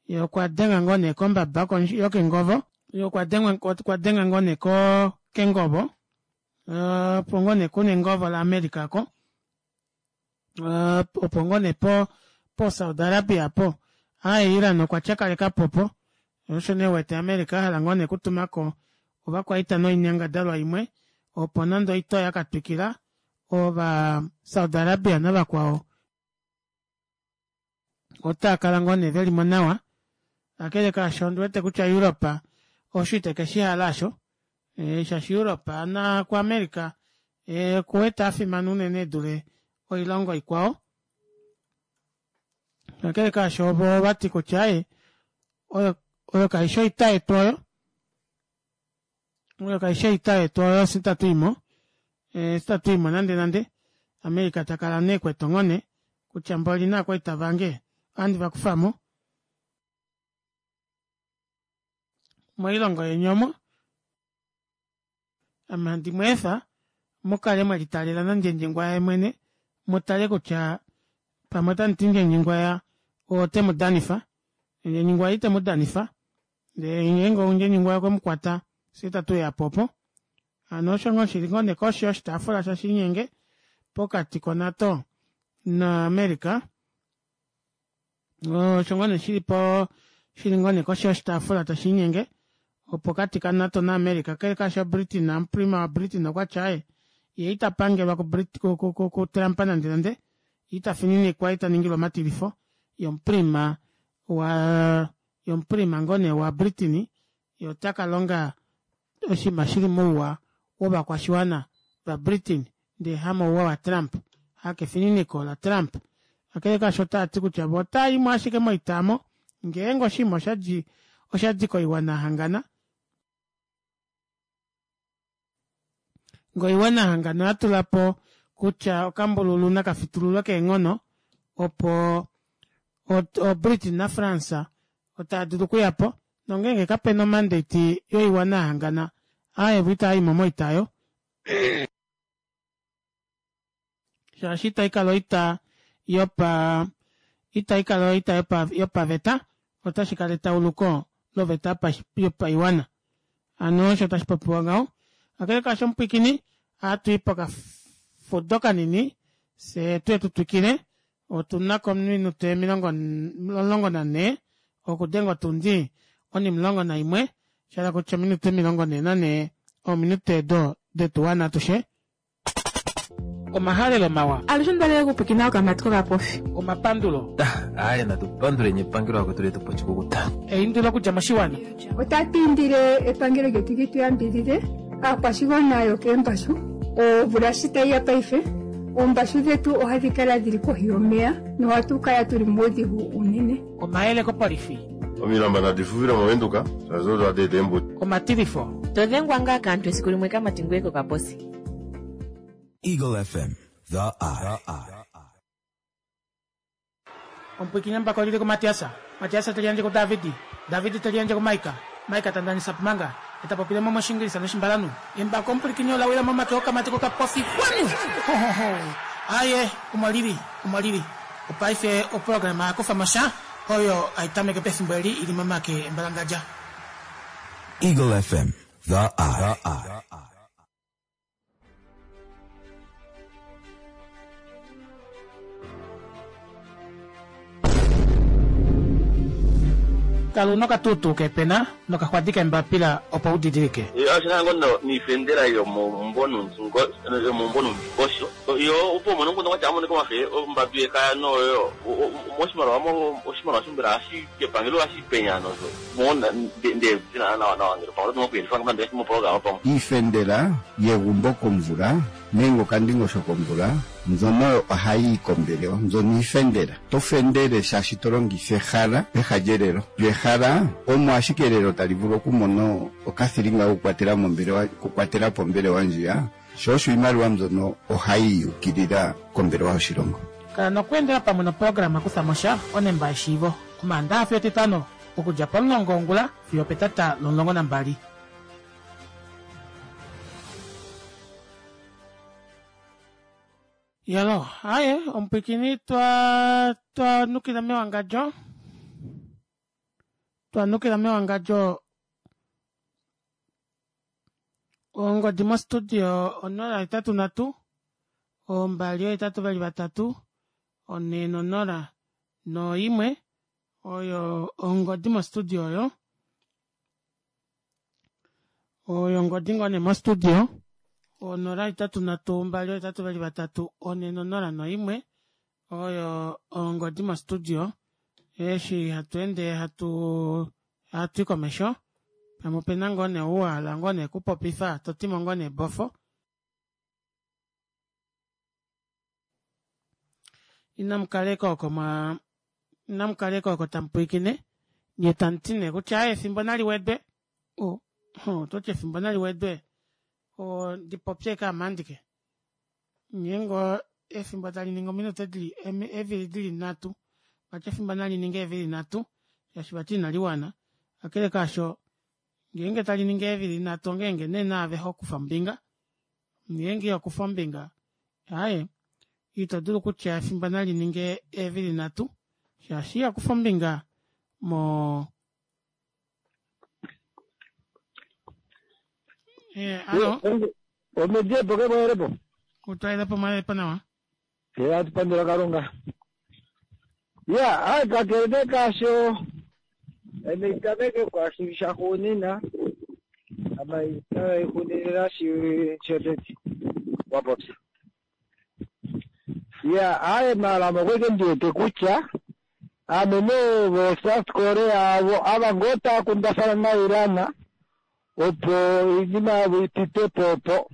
ye okwa denga ngoo nee kombaba yokengovo ye okwa denga ngoo nee kengovo opo ngoo nee kuna engovo la America oko opo ngoo nee po po Saudi Arabia po aaye Iran okwa tyakalekapo opo osho nee uwete America ahala ngoo nee okutumako ovakwaita noinyangadalwa imwe opo nande oita oya katwikila ova Saudi Arabia navakwao otaa kala ngoo nee velimo nawa kakele kaasho ondiwete kutya Europe osho ite keshi hala osho shaashi Europe na kuAmerica okuwete afimana unene edule oilongo ikwao kakele kaasho ovo ovati kutya aaye oyo kaishi oita yetu oyo oyo kaishi oita yetu oyo fye itatu imo fye itatu imo nande nande America takala nee ekwete onghone kutya mboli naakwaita vange ohandi vakufamo moilongo yeni omo ame handi mweefa mukale mwelitalela nandjendjengwaya yemwene mutale kutya pamwe otamu ti ndjendjengwaya ote mu danifa ndjendjengwaya ite mu danifa ndele ngeenge ndjendjengwaya okwe mu kwata fye itatu uya po opo hano osho ngoo shili ngoo nee koshi yoshitaafula shashinyenge pokati koNato naAmerica osho ngoo nee shili po shili ngoo nee koshi yoshitaafula tashiinyenge opokati kaNato naAmerica kakele kaasho Britain omuprima waBritain okwa tya aaye ye ita pangelwa kuTrump nande nande ita fininikwa ita ningilwa omatilifo yomuprima wa yomuprima ngoo nee waBritain ye ota ka longa oshinima shili mouwa wovakwashiwana vaBritain ndee hamouwa waTrump, hakefininiko laTrump. Kakele kaasho otaa ti kutya vo otaa i mo ashike moita omo ngeenge oshinima osha di koiwana yahangana. Ngee oiwana yahangana oya tula po kutya okambululu naka fitululwe keenghono opo oBritain naFrance otaa dulu okuya po nongeenge kape na omandate yoiwana yahangana aaye vo itaa i mo moita oyo. Shaashi itai kala oita yopa itai kala oita yopa yopaveta otashi kala etauluko loveta yopaiwana. Hano osho tashi popiwa ngaho. Kakele kaasho omupwikini ohatu i pokafudo kanini fye tuye tu twikile Otu na ko ominute 14 okudenga otundi onimulongo naimwe, sha hala kutya ominute 44 ominute edo detu wana atushe. Omahalelo mawa. Alushe onda li okupwiikina okamatwi kokapofi. Omapandulo. Aaye natu panduleni epangelo lakwetu letu pa oshikukuta. Eindilo okudja moshiwana. Otatu indile epangelo lyetu li tu yambidhidhe aakwashigwana yokeembashu omvula shi tayi ya paife Oombashu dhetu ohadhi kala dhili kohi yomeya nohatu kala tuli muudhigu uunene. Omayele kopolifi. Omilamba nadi fufile mOvenduka shaashi odo hadi eta eembuto. Omatilifo. To dhengwa ngaa kaantu esiku limwe kamati ngoye kokaposi. Eagle FM, The Eye. Omupwiikini embako oli li kuMatias, Matias te liyandje kuDavid, David te liyandje kuMaika, Maika ta ndanisa Pumanga, ye ta popile mo mOshiingilisa nOshimbalanhu. Embako omupwilikini ola wila momake okamati kokapofi. Xwanu! Ho-ho-ho! Aye, omo lili, omo lili. Opaife oprograma ya kufa mo sha oyo hai tameke pefimbo eli i li momake embalangadja. Eagle FM, The Eye. Kala una okatuutuu kepena nokaxwadi kembapila opo u didilike. Oshina ngo no niifendela yomomumvo yomomumvo nomundingosho yo opo umone omukundu kwatya amonike omafe ombadu yekaya noyo moshimaliwa mo oshimaliwa shombela hashi kepangelo hashi penya nosho mo nde nawa nawa ngele pamwe oto dulu okuyelifa nande moprograma pamwe. Iifendela yegumbo komvula nenge okandingosho komvula mbyono ohayi yi kombelewa mbyono iifendela. To fendele shaashi to longitha ehala peha lyelelo. Lyo ehala omo ashike elelo tali vulu okumona okathilinga kokukwatela mombelewa okukwatela po ombelewa ndjiya, sho osho iimaliwa mbyono ohayi yi ukilila kombelewa yoshilongo. Kala nokweendela pamwe noprograma Kutha mo sha, onemba yeshiivo, Omaandaha fiyo Etitano, okudja pomulongo wongula fiyo opetata lomulongo nambali. Yalo, aye, omupwikini twa twa nukila mewangadjo. Twa nukila mewangadjo ongodi mostudio 083 283 4 01 oyo ongodi mostudio oyo oyo ongodi ngoo nee mostudio 083 283 401 oyo ongodi mostudio eshi hatu ende hatu hatu i komesho pamwe opena ngoo nee ou wa hala ngoo nee kupopifa to timo ngoo nee bofo Inamu kaleka oko mwa inamu kaleka oko tamu pwilikine nye tamu ti nee kutya aye efimbo nali wedwe o oto ti efimbo nali wedwe o ndi popye eke ame andike ngeenge efimbo tali ningi ominute dili eevili dili nhatu vati efimbo nali ninge eevili nhatu shaashi vati inali wana kakele kaasho ngeenge tali ningi eevili nhatu ongeenge nee naave ho kufa ombinga Ngeenge iho kufa ombinga, aaye, ito dulu kutya efimbo nali ninge eevili nhatu, shaashi iho kufa ombinga mo. Eh, alo. Omediepo ke mwayelepo. Utwayelepo mwayelepo nawa. Ye atu pandula Kalunga. Ya, ai kakele nee kaasho ame itameke kwaashi shaxuunina ame itaixunilila shi shotete wa popya. Ya, aye maala ame okweke ndi wete kutya ame nee vo South Korea avo ava ngoo tava kundafana naIran opo oinima yavo ipite po opo.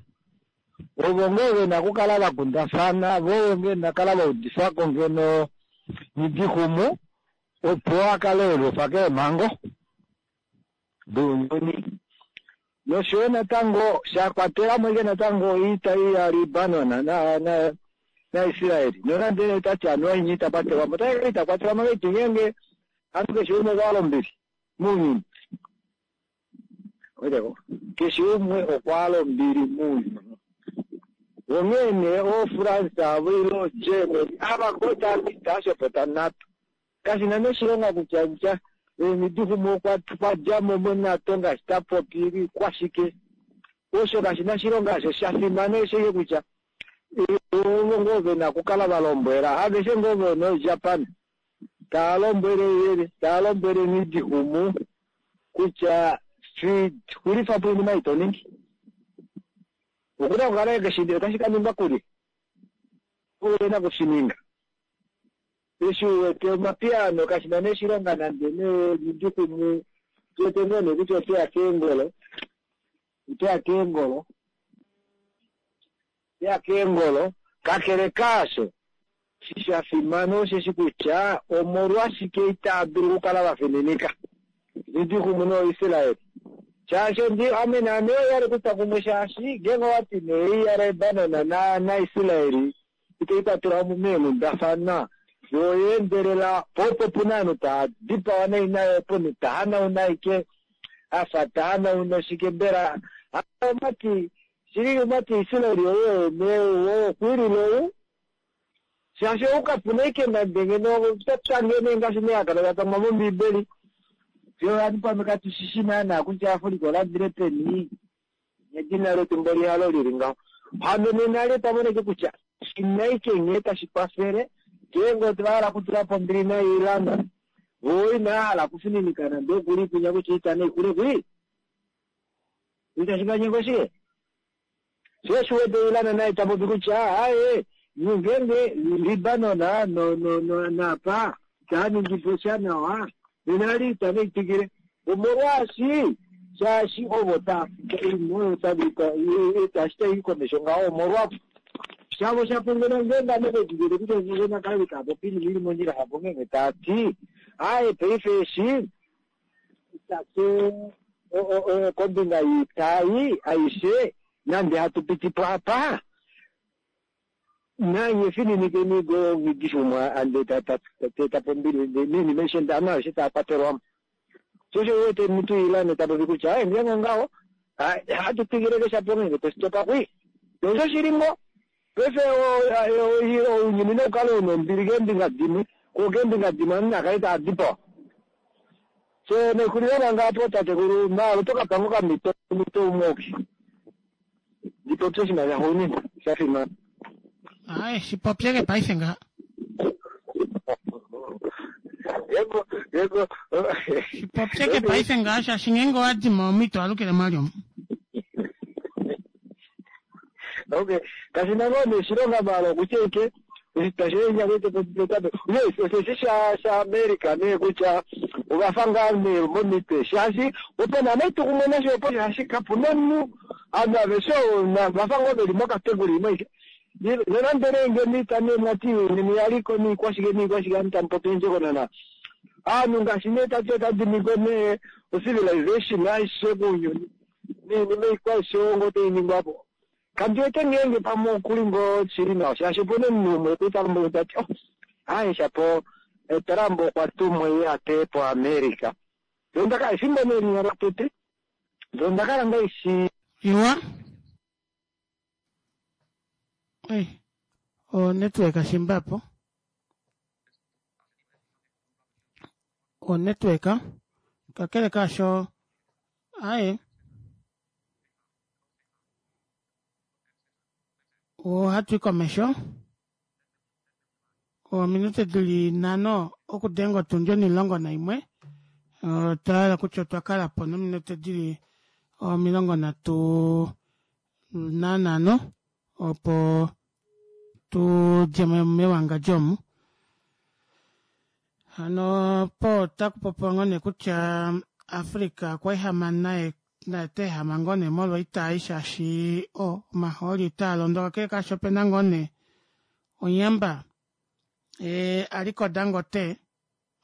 Ovo ngoo ve na okukala va kundafana, vo ovo ve na okukala va udifa ko ngeno Nghidixumu opo a kale e liufa keemhango dounyuni. Nosho yo natango sha kwatela mo ashike natango oita ei yaLibanon naIsrael, nonande nee ta ti anuwa inye ita kwatelwa mo, ota kala ita kwatelwa mo ngahelipi ngeenge ovanhu keshe umwe okwa hala ombili mounyuni? Weteko, keshe umwe okwa hala ombili mounyuni. Onghee nee ooFrance avo ile ooGermany ava ngoo tava ita ashopota NATO. Kashi na nee oshilonga kutya kutya Nghidixumu okwa okwa dja mo moNATO ngaashi ta popi kwashike. Osho kashi na oshilonga osho sha fimana osho ashike kutya ovo ngoo ve na okukala va lombwela aveshe ngoo vo noJapan tava lombwele tava lombwele Nghidixumu kutya xulifa po oinima ei to ningi. Oku na okukala e otashi ka ningwa kulye? Oye na oku shi ninga. Eshi u wete omapiyaano kashi na nee oshilonga nande nee Nghidixumu tu wete ngoo nee kutya ote ya keengolo, ote ya keengolo, ote ya keengolo. Kakele kaasho, eshi sha fimana osheshi kutya omolwashike itava dulu okukala va fininika Nghidixumu nooIsrael. Shaashi ondi, ame naame oya li kutwa kumwe shaashi ngeenge owa ti nee ei yaLebanon na, naIsrael itai kwatelwa mo meenghundafana, yo oya endelela po opo pu na ovanhu tava dipawa nai nayo opo omunhu ta hanauna ashike a fa ta hanauna oshike mbela omati shili omati Israel oye nee okwilile ou. Shaashi ou kapuna ike nande ngeno topya nghene ngaashi nee hakala tatangwa mombiibeli. Fye ovanhu pamwe katu shishi naana kutya Africa oladile peni. Nedina letu mboli halo lili ngaho. Hano nena li otwa mona ike kutya shina ike nghee tashi kwafele ngeenge otwa hala okutula po ombili naIran, vo inava hala okufininika nande okuli kwinya kutya oita naixule kwii. Itashi va nyenge oshike? Sho osho u wete Iran naye ta popi kutya aaye ngeenge Libanon no no naapa itaa ningi po sha nawa, nena ali ita nai twikile. Omolwaashi shaashi ovo tava fika oinima oyo tava eshi tai i komesho ngaho omolwavo. Shavo sha pungula ngeenge ame ve didilike kutya ngeenge nakale tava popi oinima ili mondjila shapo ngeenge tava ti aaye paife eshi itatu kombinga yiitayi aishe nande hatu piti po apa nanye fininikeni go ngidishumwa ande teta po ombili noinima aishe ovanhu aveshe tava kwatelwamo. Sho osho u wete omuntu Iran ta popi kutya aye ngeenge ongaho hatu twikile keshapo ngeenge tositopa kwii. Osho shili ngo paife ounyuni nau kale una ombili keembinga dimwe ko keembinga dimwe ovanhu nava kale tava dipawa. So naixulila manga apo tatekulu maala oto kapa ngoo okamhito omhito umwe oki ndi popye oshinima shaxuuninwa sha fimana. Aye, shipopyeke paife ngaha. Yego, Shipopyeke paife ngaha shaashi ngeenge owa dima omhito alukile mwali omu. Okay, kashi na ngoo nee oshilonga maala okutya ike oshitwa shoye yes, osheshi sha shaAmerica nee kutya ovafa ngaa nee momitwe shaashi opo naana itu kumwe nasho opo shaashi kapuna omunhu ovanhu aveshe vafa ngoo veli mokategori imwe aike. Nonande nee ngeno ita nee mwati neni yaliko niikwashike niikwashike ovanhu tamu popi ondjokonona. Ovanhu ngaashi nee tati otadimikwe nee ocivilization aishe kounyuni noinima ikwa aishe ngoo tai ningwapo. Kandi wete ngeenge pamwe okuli ngoo shili nawa shaashi opuna omunhu umwe okuli ta lombwele tati oh aye shapo Trump okwa tumwa ye a teye po America. Ndoo efimbo nee linya lotete ndoo nda kala ngaishi Iwa. Ei, o network shimbapo. O network kakele kaasho aye ohatu i komesho ominute dili nhano okudenga otundi 11. Otwa hala kutya otwa kala po nominute dili 35 opo tu dje mewangadjo omu. Hano po otaku popiwa ngoo nee kutya Africa okwa ehama naye naye ta ehama ngoo nee molwa oitai shaashi o omahooli itaa londo kakele kaasho opena ngoo nee onyamba Aliko Dangote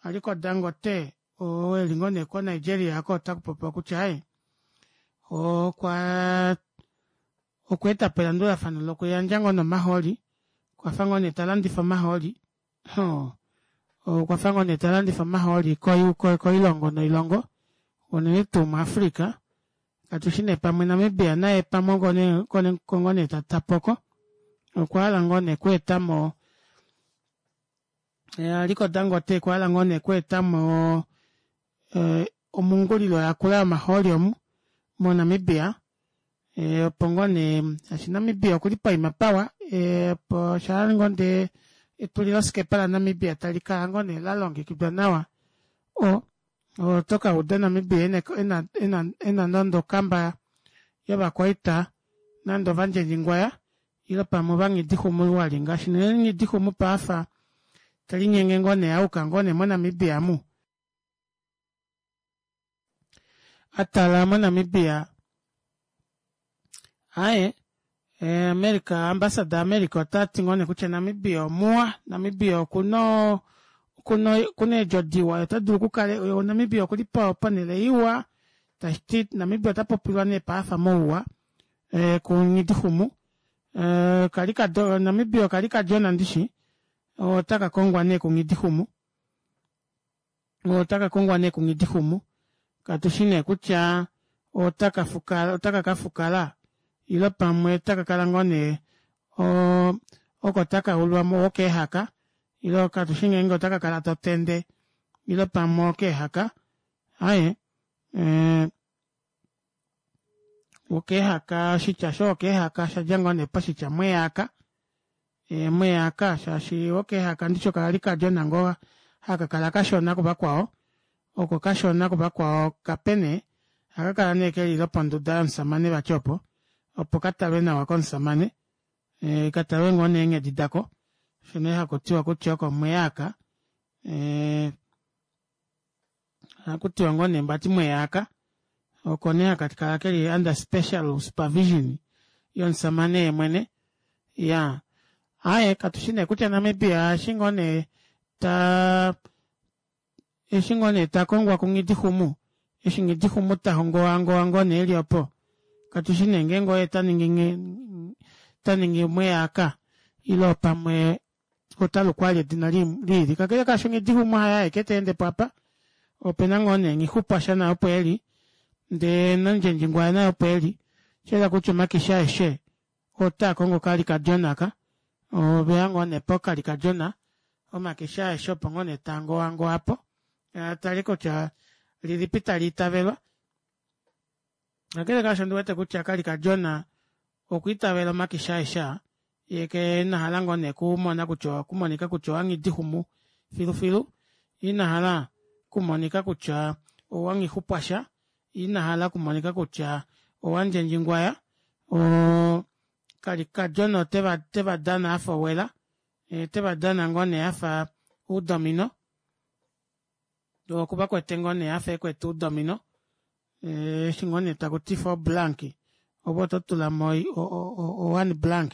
Aliko Dangote oo eli ngoo nee koNigeria oko otaku popiwa kutya aye okwa okweeta po elandulafano lokuyandja ngoo nomahooli okwafa ngoo nee ta landifa omahooli okwafa ngoo nee ta landifa omahooli koilongo noilongo unene tuu muAfrica katushi nee pamwe Namibia naye pamwe ngoo nee ta tapoko okwa hala ngoo nee okweetamo Aliko Dangote okwa hala ngoo nee okweetamo omungulilo yakula yomahooli omu moNamibia opo ngoo nee shaashi Namibia okuli poima pawa opo shaa ngoo ndee etulilosikepa laNamibia tali kala ngoo nee la longekidwa nawa o oto ka uda Namibia ena nande okamba yovakwaita nande ovandjendjingwaya ile pamwe ovanghidixumu wali ngaashi nee nghidixumu paafa telinyenge ngoo nee auka ngoo nee moNamibia mu atala moNamibia aye America ambassador America ota ti ngoo nee kutya Namibia omuwa Namibia okuna okuna eedjo diwa ota dulu okukala Namibia okuli ponhele iwa tashiti Namibia ota popilwa nee paafa mouwa kunghidixumu kali Namibia okali kadjona ndishi otaka kongwa nee kunghidixumu otaka kongwa nee kunghidixumu katushi nee kutya otaka fukala otaka ka fukala ile pamwe otaka kala ngoo nee. Oko taka ulwa mo wokeehaka ile katushi ngeenge otaka kala totende ile pamwe okeehaka aaye ee wokeehaka oshitya osho wokeehaka oshadja ngoo nee poshitya mweyaaka ee mweyaaka shaashi wokeehaka ndishi okali kadjona ngoo haka kala kashona kuvakwao oko kashona kuvakwao kape nee ohaka kala nee keli loponduda yomusamane vati opo opo katalwe nawa komusamane e, katalwe ngoo nee eenghedi dako osho nee hakutiwa kutya oko mweyaaka e, ohakutiwa ngoo nee mbati mweyaaka oko nee haka kala keli under special supervision yomusamane yemwene ya aaye katushi nee kutya Namibia eshi ngoo nee ta eshi ngoo nee ta kongwa kuNghidixumu eshi Nghidixumu ta hongowangowa ngoo nee eli opo katushi nee ngeenge oye ta ningi ta ningi mweyaaka ile pamwe ota lukwa ali edina liili kakele kaasho Nghidixumu haye aeke ta ende po apa opena ngoo nee Nghixupwasha naye opo eli ndee naNdjendjingwaya naye opo eli shayela kutya omakishi aeshe otaa kongo okalikadjona aka oveya ngoo nee pokalikadjona omakishi aeshe opo ngoo nee taa ngowangowa po tali kutya lilipi tali itavelwa kakele kaasho ondi wete kutya kalikadjona okwa itavela omakishi aeshe aa ye ke ina hala ngoo nee kumona kutya okumonika kutya owanghidixumu filufilu ina hala kumonika kutya owanghixupwasha ina hala kumonika kutya owandjendjingwaya oo kalikadjona oteva teva dana afa owela teva dana ngoo nee afa oudomino okuva kwete ngoo nee afa ekwete oudomino eshi ngoo nee taku ti four blank ove oto tula mo o one blank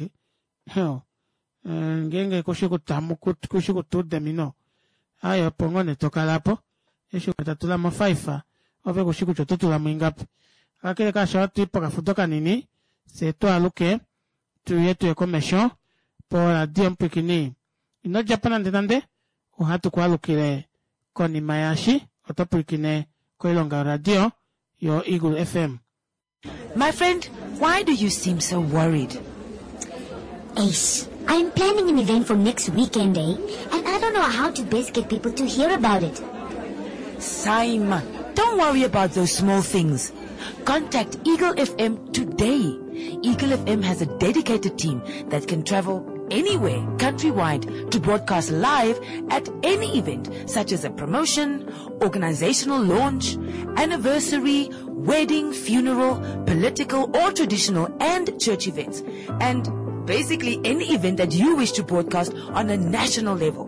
ngeenge kushi kutamu kushi kutuudemino aye opo ngoo nee tokala po eshi ta tula mo five ove kushi kutya oto tula mo ingapi kakele kaasho ohatu i pokafudo kanini fye twaaluke tuye tuye komesho poradio mupwikini ino djapo nande nande ohatu ku alukile konima yaashi oto pwilikine koilonga yoradio yo Eagle FM. My friend, why do you seem so worried? Ace, I'm planning an event for next weekend, eh? And I don't know how to best get people to hear about it. Saima, don't worry about those small things. Contact Eagle FM today. Eagle FM has a dedicated team that can travel anywhere countrywide to broadcast live at any event such as a promotion, organizational launch, anniversary, wedding, funeral, political or traditional and church events. And basically any event that you wish to broadcast on a national level.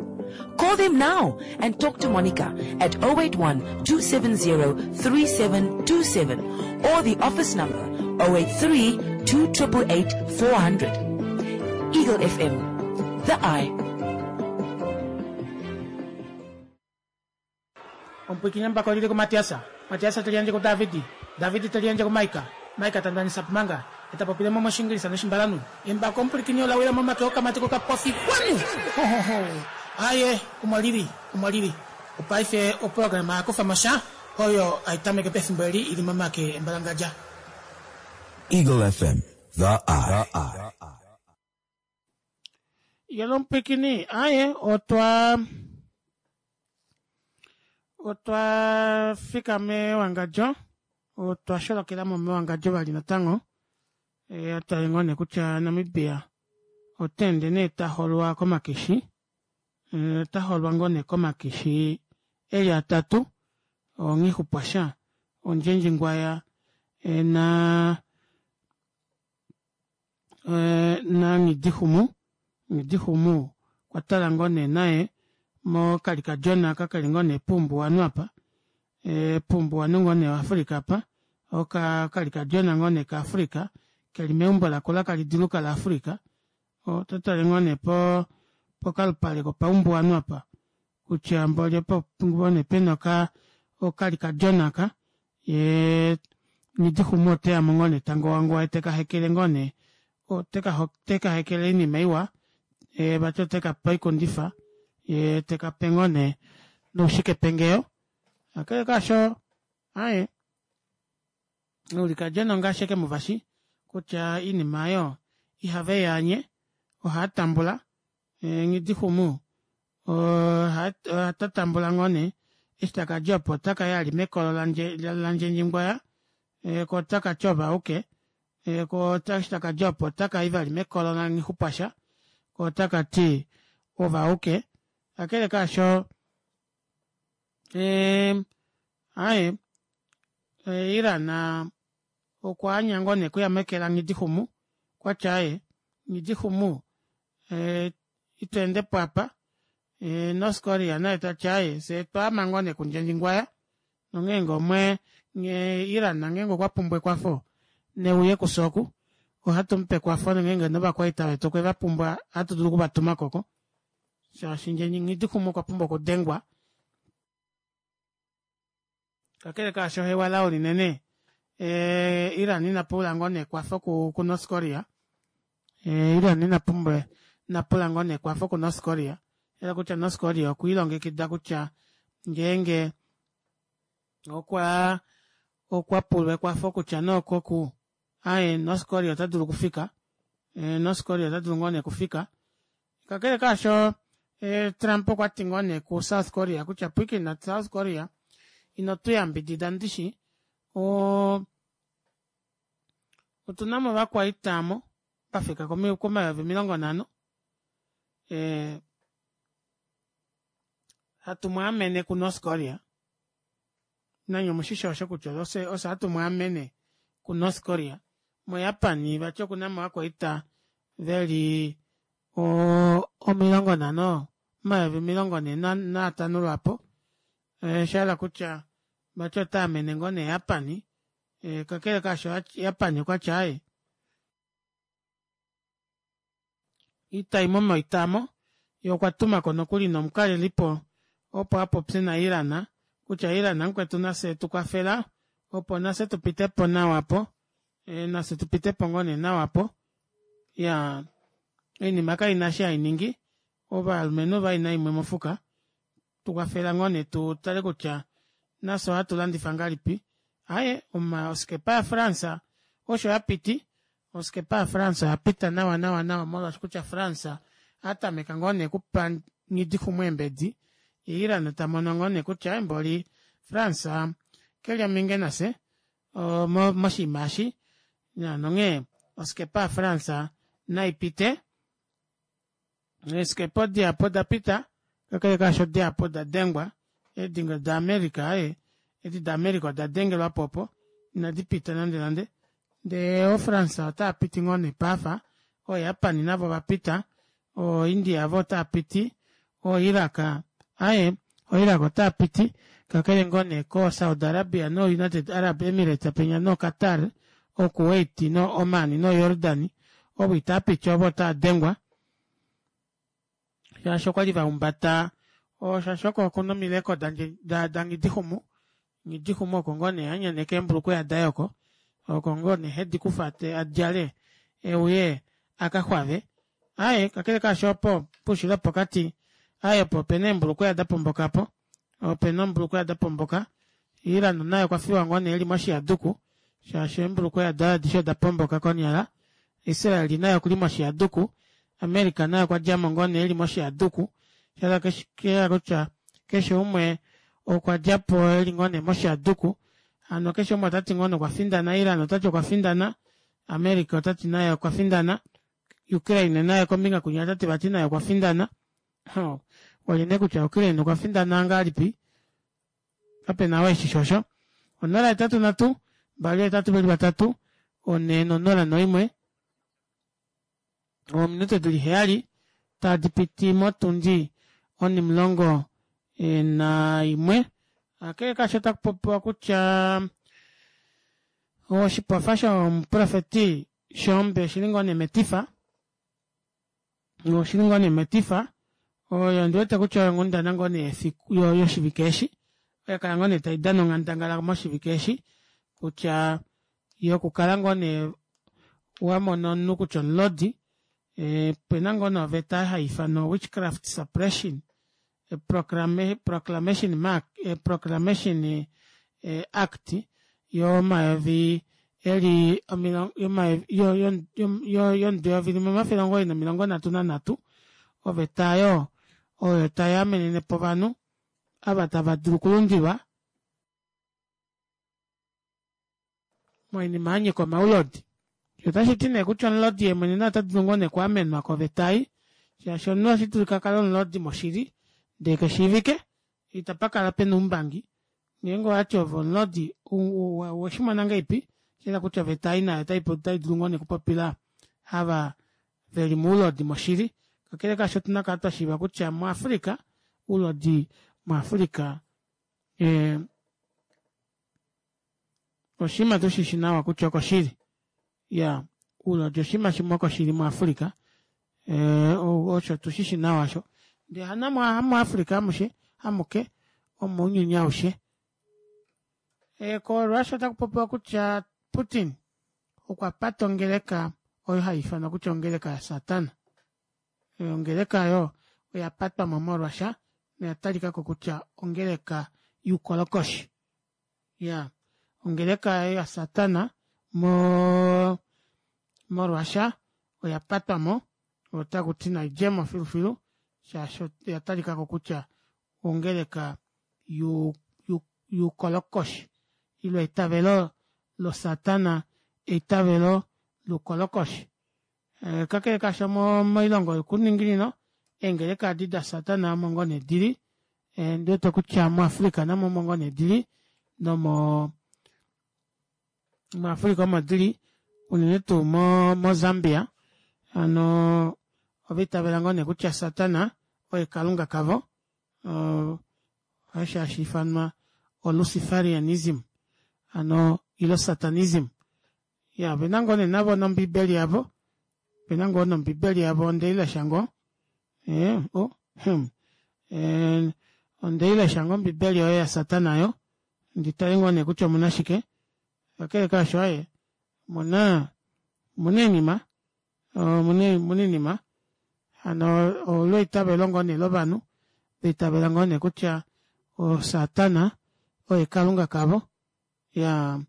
Call them now and talk to Monica at 081 270 3727 or the office number 083 2888 400. Eagle FM, the eye. Omupwiikini embako lili kuMatiasa, Matiasa te liyandje kuDavidi, Davidi te liyandje kuMaika, Maika ta ndanisa Pumanga, e ta popile mo mOshingilisa nOshimbalanhu. Embako omupwilikini ola wila momake okamati kokapofi kwanu! Hohoho! Aaye, omo lili, omo lili. Opaife oprograma ya kufa mo sha oyo hai tameke pefimbo eli i li momake embalangadja. Eagle FM, the eye. Yelo omupwilikini, aaye, otwa otwa fika mewangadjo, otwa sholokela mo mewangadjo vali natango. E, otwa ngoo nee kutya Namibia ota ende nee ta holwa komakishi, e, ota holwa ngoo nee komakishi eli atatu, onghixupwasha, ondjendjingwaya e, na e, na Nghidixumu. Nghidixumu okwa tala ngoo nee naye mokalikadjona kakali ngoo nee puumbuwanhu apa e, puumbuwanhu ngoo nee waAfrika apa oka kalikadjona ngoo nee kaAfrika keli meumbo lakula kali diluka laAfrika oto tale ngoo nee po pokalupale kopaumbuwanhu apa kutya mboli opo ngoo nee pena oka okalikadjona ka ye Nghidixumu oteya mo ngoo nee tangowangowa teka hekele ngoo nee oteka hekele oinima iwa ye vati oteka pe oikundifa ye teka pe ngoo nee noushikepengeyo kakele kaasho aaye oulikadjona ongaashi eke muvashi kutya oinima oyo ihave yaanye ohaa tambula. Nghidixumu ota tambula ngoo nee eshi takadja opo otakayi ali mekolo landjendjingwaya koo otakati ovauke koo eshi takadja opo otakayi vali mekolo langhixupwasha koo otakati ovauke kakele kaasho aaye Iran okwaanya ngoo nee okuya meke la nghidixumu okwati aaye nghidixumu itweendepo aapa North Korea naye tati aaye fyee otwaama ngoo nee kundjendjingwaya nongeenge omwe Iran ngeenge okwa pumbwa ekwafo neuye kufye oku ohatu mupe ekwafo nongeenge novakwaita vetu okwe vapumbwa ohatu dulu okuvatumako oko shaashi nghidixumu okwa pumbwa okudengwa kakele kaasho hewa lao linene eh, Iran ina pula ngoo nekwafo ku, ku North Korea eh, Iran ina pumbwa ina pula ngoo nekwafo ku North Korea ela kutya North Korea okwiilongekida kutya ngeenge okwa okwa pulwa ekwafo kutya nookoku aye North Korea ota dulu okufika eh, North Korea ota dulu ngoo nee okufika kakele kaasho eh, Trump okwa ti ngoo nee ku South Korea kutya pwiikina South Korea ino tu yambidida ndishi o otu na mo ovakwaita mo va fika komayovi 50 eh, hatu mu amene ku North Korea nanye omushishi osho kutya ose ose hatu mu amene ku North Korea moJapan vati oku na mo ovakwaita veli 50 450 lwaapo eh, sha hala kutya vati ota amene ngoo nee Japan eh, kakele kaasho Japan okwa tya aye itayi mo moitamo ye okwa tuma ko nokuli nomukalelipo opo a popye naIran kutya Iran mukwetu nafye tu kwafela opo nafye tu pite po nawa po e, nafye tu pite po ngoo nee nawa po ya oinima kai na shi hai ningi ovalumenhu vaina imwe mofuka tu kwafela ngoo nee tu tale kutya nafye ohatu landifa ngalipi aye oma oskepa yaFrance osho ya piti oskepa yaFrance oya pita nawa nawa nawa molwaashi kutya France a tameka ngoo nee kupa Nghidixumu eembedi ye Iran ta mono ngoo nee kutya mboli France keli ominge nafye moshinima eshi nonghee oskepa yaFrance nai pite Eeskepa odihapu oda pita, kakele kaasho dihapu oda dengwa. Eedingo daAmerica, aaye, edi daAmerica oda dengelwa po opo, inadi pita nandenande. Ndee ooFrance otaa piti ngoo nee paafa, ooJapan navo ova pita, ooIndia vo otaa piti, ooIraq, aaye, ooIraq otaa piti, kakele ngoo nee kooSaudi Arabia nooUnited Arab Emirates penya nooQatar, ooKuwait nooOman nooJordan, ovo itaa piti ovo otaa dengwa. Shaashi okwa li va humbata shaashi oko okuna omileko daNgidixumu. Nghidixumu oko ngoo nee a nyaneka eembulukweya daye oko. Oko ngoo nee hedi kufa a djale e uye a ka xwave. Aaye, kakele kaasho opo poushilo wopokati, aaye opo ope na eembulukweya da pomboka po. Ope na ombulukweya da pomboka. Iran naye okwa fiwa ngoo nee e li moshihaduku shaashi eembulukweya daye adishe oda pomboka konyala. Israel naye okuli moshihaduku. America naye okwa dja mo ngoo nee e li moshihaduku. Sha hala kutya keshe umwe okwa dja po e li ngoo nee moshihaduku. Hano keshe umwe ota ti ngoo nee okwa findana. Iran ota ti okwa findana. America ota ti naye okwa findana. Ukraine naye kombinga kwinya ota ti vati naye okwa findana. Olye nee kutya Ukraine okwa findana ngahelipi? Kape na oo eshi shi osho. 083 2 8 4 0 1 Ominute di li heyali tadi piti motundi onimulongo naimwe. Kakele kaasho otaku popiwa kutya oshipofa shomuprofeti Shoombe oshi li ngoo nee metifa. Oshi li ngoo nee metifa. Oyo ondi wete kutya oyo onghundana ngoo nee yefiku yoshivike eshi. Oya kala ngoo nee tai dana onghandangala moshivike eshi kutya yokukala ngoo nee wa mona omunhu kutya omulodi ope na ngoo nee oveta hai ifanwa Witchcraft Suppression Proclamation Mark Proclamation Act yomayovi eli yomudo 1933 Oveta oyo oyo tai amenene po ovanhu ava tava dulu okulundilwa moinima ya nyika omaulodi. Otashi ti nee kutya omulodi ye mwene naye ota dulu ngoo nee okuamenwa koveta ei, shaashi omunhu ohashi dulika a kale omulodi moshili ndee ke shiivike, itapa kala pena oumbangi. Ngeenge owati ove omulodi oweshi mona ngahelipi? Osha yela kutya oveta ei nayo otai dulu ngoo nee okupopila ava veli moulodi moshili. Kakele kaasho otuna okukala twa shiiva kutya muAfrica, oulodi muAfrica eh, oshinima tu shishi nawa kutya okoshili. Ya, oulodi oshinima shimwe okoshili muAfrica. Eh, osho tu shishi nawa osho. Ndee hana muAfrica amushe, amuke, omounyuni aushe. E, koRussia otaku popiwa kutya Putin okwa pata ongeleka oyo hai ifanwa kutya ongeleka yaSatana. Ongeleka oyo oya patwa mo moRussia noya talika ko kutya ongeleka youkolokoshi. Ya, ongeleka yaSatana mo moRussia oya patwa mo, otaku ti nai dje mo filufilu shaashi oya talika ko kutya ongeleka youkolokoshi ile eitavelo losatana eitavelo loukolokoshi. Eh, kakele kaasho moilongo yokuninginino eengeleka adi dasatana omo ngoo nee dili eh, ndi wete kutya muafrika namo omo ngoo nee dili nomo muafrika omo dili unene tuu mozambia hano ova itavela ngoo nee kutya satana oye kalunga kavo osho hashi ifanwa oluciferianism hano ilo satanism ya vena ngoo nee navo nombibeli yavo vena ngoo nombibeli yavo onde i lesha ngoo eh, oh, hmm. eh, onde i lesha ngoo ombibeli oyo yasatana yo ndi tale ngoo nee kutya omuna shike kakele kaasho aye omuna omuna oinima omuna oinima hano olo eitavelo ngoo nee lovanhu vaitavela ngoo nee kutya osatana oye kalunga kavo ya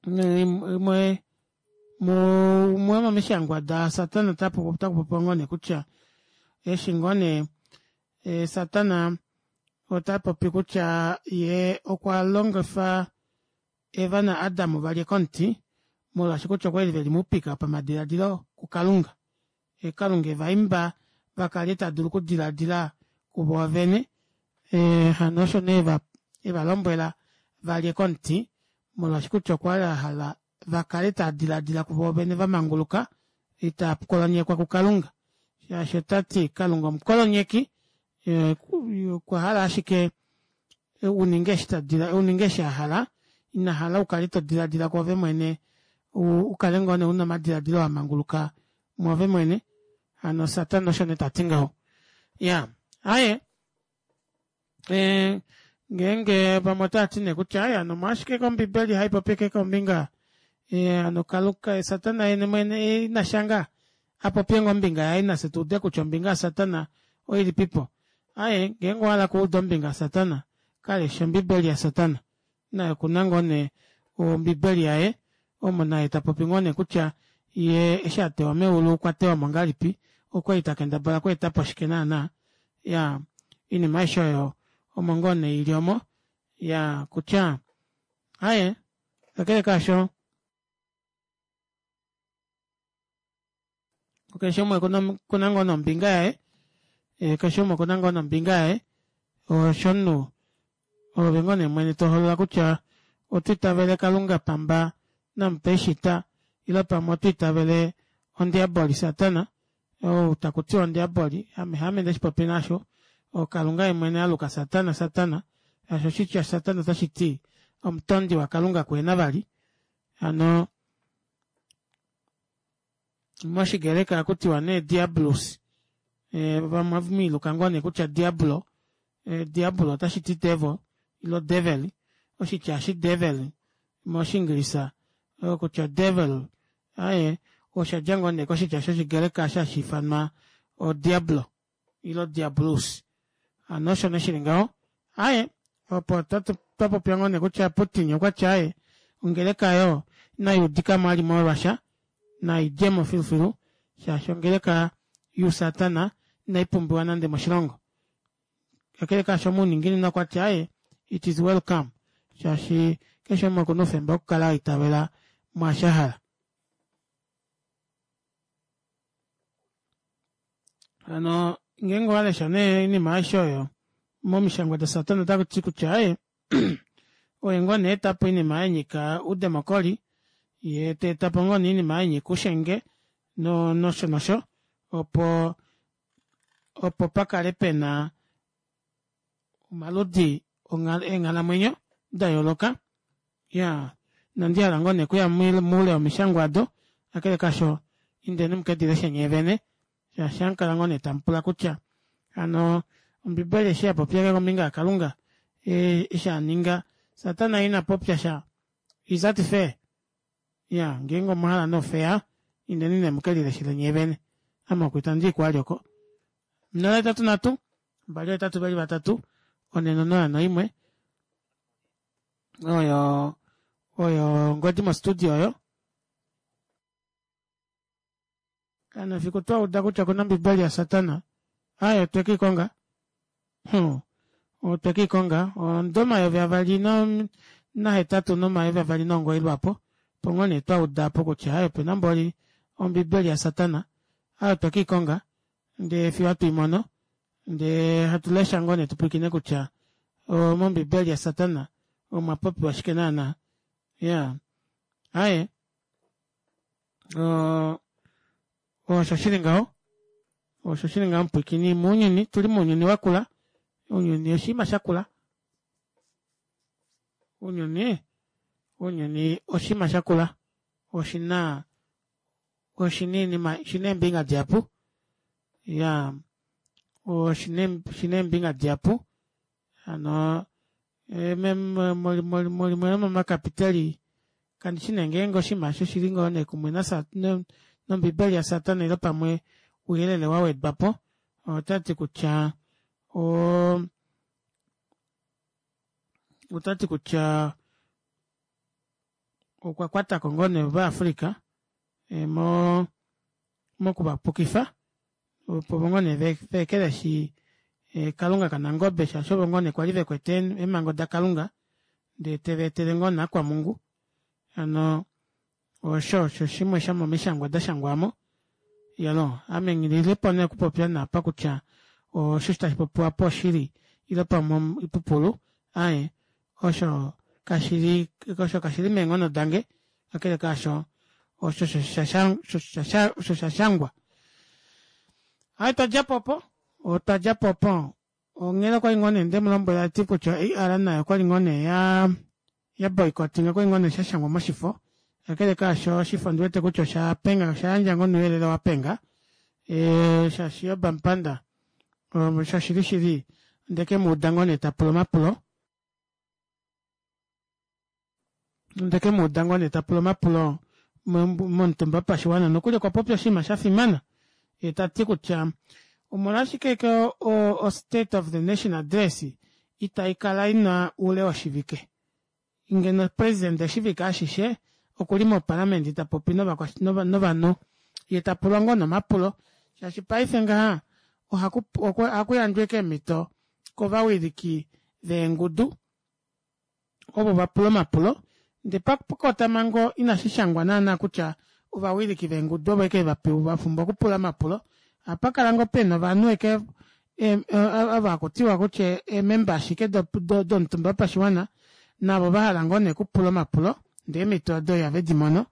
imwe mumwe womomishangwa dasatana otaku popiwa ngoo nee kutya eshi ngoo nee e, satana ota popi kutya ye okwa longifa Eva naAdam va lye komuti molwaashi kutya okwa li ve li moupika pamadiladilo kuKalunga. E, Kalunga e va imba va kale ta dulu okudiladila kuvo vene. E, hano osho nee e va lombwela va lye komuti molwaashi kutya okwa li a hala va kale tava diladila kuvo vene va manguluka itava kolonyekwa kuKalunga. Shaashi ota ti Kalunga omukolonyeki, e, okwa hala ashike u ninge eshi ta dila, u ninge eshi a hala, ina hala u kale to diladila kwoove mwene, u kale ngoo nee u na omadiladilo a manguluka mwoove mwene. Hano Satana osho nee ta ti ngaho. Ya, aye e, ngeenge vamwe otava ti nee kutya aye hano omolwashike kombibeli hai popi ke kombinga e, hano Kalunga Satana yene mwene ina shanga a popye ngoo ombinga yaye nafye tu ude kutya ombinga yaSatana oilipipo. Aye, ngeenge owa hala okuuda ombinga yaSatana, ka lesha Ombibeli yaSatana. Naye oku na ngoo nee Ombibeli yaye, omo naye ta popi ngoo nee kutya ye eshi a tewa meulu okwa tewa mo ngahelipi, okwa li ta kendabala okweeta po shike naanaa. Ya, oinima aishe oyo omo ngoo nee i li omo. Ya, kutya, aye, kakele kaasho, Keshe umwe okuna ngoo nombinga yaye, eh, keshe umwe okuna ngoo nombinga yaye. Osho omunhu ove ngoo nee mwene to holola kutya oto itavele Kalunga pamba namupeishita ile pamwe oto itavele ondiaboli Satana ou taku tiwa ondiaboli ame haame ndeshi popi nasho oKalunga ye mwene a luka Satana Satana shaashi oshitya Satana otashi ti omutondi waKalunga kuhena vali hano moshigreka ohaku tiwa nee diabolus eh, vamwe miiluka ngoo nee kutya diablo eh, diablo otashi ti devil ilo devil oshitya shi devil moshiingilisa eh, kutya devil aye osha dja ngoo nee koshitya shoshigreka hashi ifanwa odiablo ilo diabolus hano osho nee shili ngaho aye opo twa popya ngoo nee kutya Putin okwa tya aye ongeleka yo inai udika mo ali molwasha nai dje mo filufilu shaashi ongeleka yousatana inai pumbiwa nande moshilongo. Kakele kaasho omuuninginino okwa ti aaye it is welcome shaashi keshe umwe okuna oufemba wokukala a itavela mwaashi a hala. Hano ngeenge owa lesha nee oinima aishe oyo momishangwa daSatana otaku ti kutya aye oye ngoo nee eta po oinima ya nyika oudemokoli ye ta eta po ngoo nee oinima ya nyika oushenge no nosho nosho opo opo pa kale pe na omaludi eenghalamwenyo da yooloka ya inandi hala ngoo nee okuya moule womishangwa odo kakele kasho indeni mukedi leshe nyee vene shaashi ohamu kala ngoo nee tamu pula kutya hano ombibeli eshi ya popya kombinga yakalunga eshi a ninga satana ina popya sha is that fair ya ngeenge omwa hala nee ofeya indeni nee muke lileshele nyee vene ame oku itandi i kwali oko 083 283 401 oyo oyo ongodi mostudio oyo kana fiku twa uda kutya okuna ombibeli yasatana aye otwe kiikonga hmm. otwe kiikonga ondo 2008 no 2009 lwapo opo ngoo nee twa uda po kutya aye opena mboli ombibeli yasatana aye otwe kiikonga ndee fiyo hatu i mono ndee hatu lesha ngoo nee tu pwilikine kutya mombibeli yasatana omwa popiwa shike naana ya aye osho shili ngaho osho shili ngaho mupwilikini mounyuni tuli mounyuni wakula ounyuni oshinima shakula ounyuni ounyuni oshinima shakula oshina oshina iinima oshina eembinga dihapu ya oshina oshina eembinga dihapu hano mulimwe lomomakapiteli kandi shi nee ngeenge oshinima osho oshili ngoo nee kumwe nombibeli yasatana ile pamwe ouyelele wa wedwa po ota ti kutya ota ti kutya okwa kwata ko ngoo nee Ovaafrika eh, mo mokuvapukifa opo ngoo nee ve ekeleshi eh, Kalunga kaNangobe shaashi ovo ngoo nee kwali ve kwete eemhango daKalunga ndee teva etele ngoo nee akwamungu hano osho osho shimwe shomomishangwa da shangwa mo yalo ame nghilile po nee okupopya naapa kutya osho tashi popiwa po oshili ile pamwe oipupulu aye osho kashi li osho kashi li meenghono dange kakele kaasho osho osho sha shangwa hai twa dja po opo otwa dja po opo onghela okwali ngoo nee nde mu lombwela ti kutya AR nayo okwali ngoo nee ya ya boycotting okwali ngoo nee sha shangwa moshifo kakele kaasho oshifo ndi wete kutya osha penga osha yandja ngoo nouyelele wa penga e, shaashi Job Amupanda shoshili shili onde ke mu uda ngoo nee ta pula omapulo Onde ke mu uda ngoo nee ta pula omapulo momutumba wopashiwana nokuli okwa popya oshinima sha fimana ye ta ti kutya omolwashike ke o State of the Nation Address itai kala ina oule woshivike ngeno president oshivike ashishe okuli moparliament ta popi novanhu ye ta pulwa ngoo nomapulo shaashi paife ngaha ohaku yandjwa ashike eemhito kovawiliki veengudu ovo va pula omapulo ndee pakotamhango inashi shangwa naana kutya ovawiliki veengudu ovo eke va pumbwa okupula omapulo. Ohapa kala ngoo pena ovanhu eke ava haku tiwa kutya eememba ashike domutumba wopashiwana navo va hala ngoo nee okupula omapulo ndee eemhito odo ihave di mono.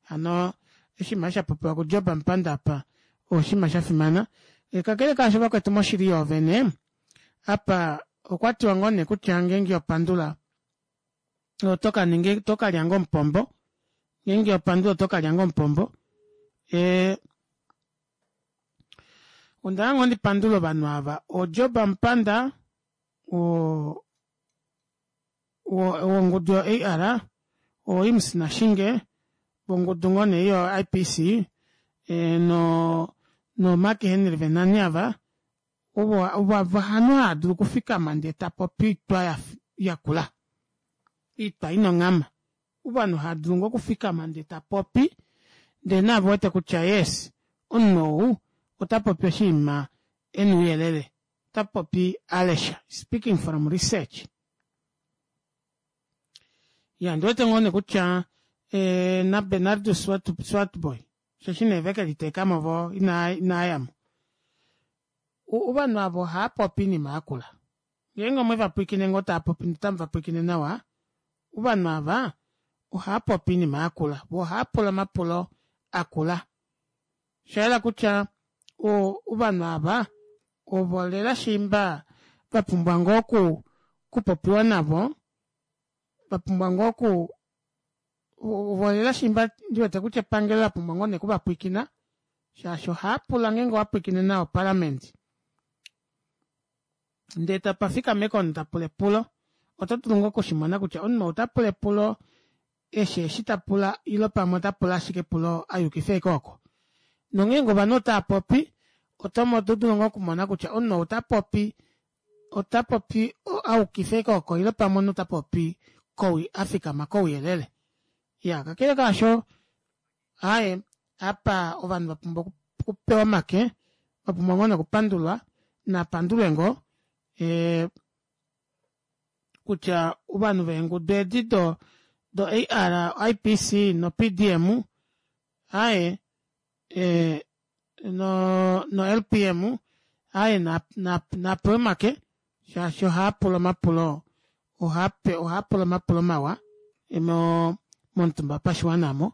Hano oshinima sha popiwa kuJob Amupanda apa oshinima sha fimana. Kakele kaasho vakwetu moshili yoovene apa okwa tiwa ngoo nee kutya ngeenge opandula oto ka ninga oto ka lya ngoo omupombo ngeenge opandula oto ka lya ngoo omupombo e, onda hala ngoo ndi pandule ovanhu ava oJob Amupanda o wongudu yo-AR, oImms Nashinge vongudu ngoo nee yo-IPC e, no no Mark Henry Venani ava ovo ovo ovanhu hava dulu okufikama ndee ta popi oitwa yakula oitwa ina onghama ovanhu hava dulu ngoo okufikama ndee ta popi ndee naave wete kutya yes omunhu ou ota popi oshinima e na ouyelele. Ota popi a lesha. Speaking from research. Ya, ondi wete ngoo nee kutya eh, naBernardus Swartbooi, osheshi nee ve ke liteeka mo vo inaa inaa ya mo. Ovanhu ava ohava popi oinima yakula. Ngeenge omwe va pwilikine ngoo tava popi notamu va pwilikine nawa, ovanhu ava ohava popi oinima yakula, vo ohava pula omapulo akula. Osha yela kutya ovanhu ava ovo lela shiimba va pumbwa ngoo oku kupopiwa navo, va pumbwa ngoo oku ovo lela shiimba ndi wete kutya epangelo la pumbwa ngoo nee okuvapwilikina shaashi ohava pula ngeenge owa pwilikine nawa opalamende ndee tapa fikama omunhu ta pula epulo oto dulu ngoo okushimona kutya omunhu ou ta pula epulo eshi eshi ta pula ilo pamwe ota pula ashike epulo a yukifa ashike oko. Nongeenge ovanhu otava popi oto oto dulu ngoo okumona kutya omunhu ou ta popi ota popi a yukifa ashike oko ilo pamwe omunhu ta popi kowi a fikama kouyelele. Ya kakele kaasho aaye apa ovanhu va pumbwa okupewa omake va pumbwa ngoo nokupandulwa napandulwe ngoo e, kutya ovanhu veengudu edi do do AR, IPC no PDM aye e, no, no LPM aye na, na, na pewe omake shaashi ohaa pula omapulo ohaa pula omapulo mawa mo momutumba wopashiwana mo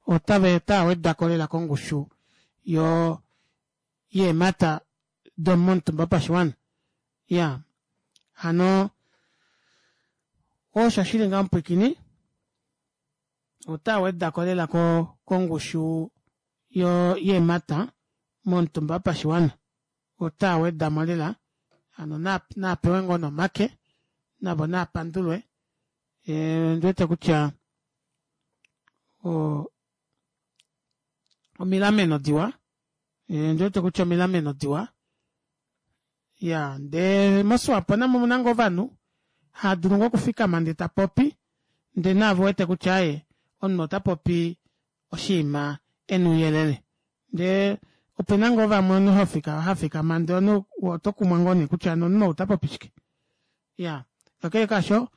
otave otaa weda ko lela kongushu yo yeemhata domomutumba wopashiwana ya hano osho shili ngaa omupwikini ota weda ko lela kongushu yo yeemhata momutumba wopashiwana ota weda mo lela hano napewe ngoo nomake navo naapandulwe eh, ndi wete kutya omilameno diwa Eh, ndi wete kutya omilameno diwa ya ndee moSwapo namo omuna ngoo ovanhu haa dulu ngoo okufikama ndee ta popi ndee naave wete kutya aye omunhu ota popi oshinima e na ouyelele ndee opena ngoo vamwe omunhu hofika hafikama ndee omunhu oto kumwa ngoo nee kutya omunhu ou ota popi shike ya kakele kaasho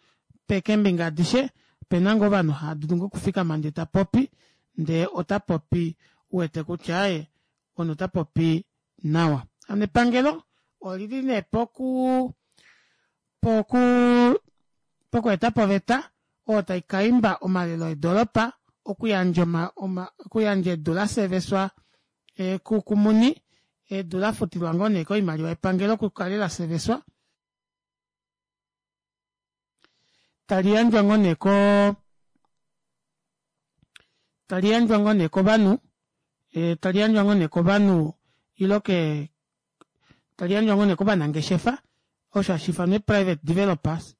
keembinga adishe opena ngoo ovanhu haa dulu ngoo okufikama ndee ta popi ndee ota popi uwete kutya aye omunhu ota popi nawa hano epangelo olili nee poku poku pokweeta po oveta oyo tai ka imba omalelo eedolopa okuyandja oma, oma, okuyandja edu la seveswa e, kumuni edu la futilwa ngoo nee koimaliwa yepangelo kukale la seveswa tali yandjwa ngoo nee ko tali yandjwa ngoo nee kovanhu e, tali yandjwa ngoo nee kovanhu ilo ke tali yandjwa ngoo nee kovanangeshefa osho hashi ifanwa private developers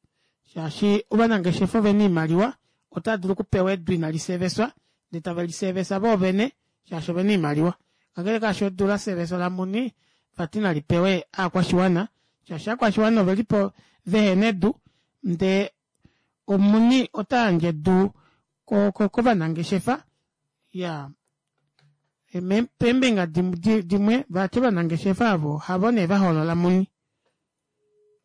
shaashi ovanangeshefa ovena oimaliwa otava dulu okupewa edu inali seveswa ndee tave li sevesa voo vene shaashi ovena oimaliwa kakele kaasho edu la seveswa lamuni vati nali pewe aakwashiwana shaashi aakwashiwana ove li po vehena edu ndee omuni ota yandje edu kovanangeshefa ya peembinga dimwe vati ovanangeshefa avo havo nee va hoolola muni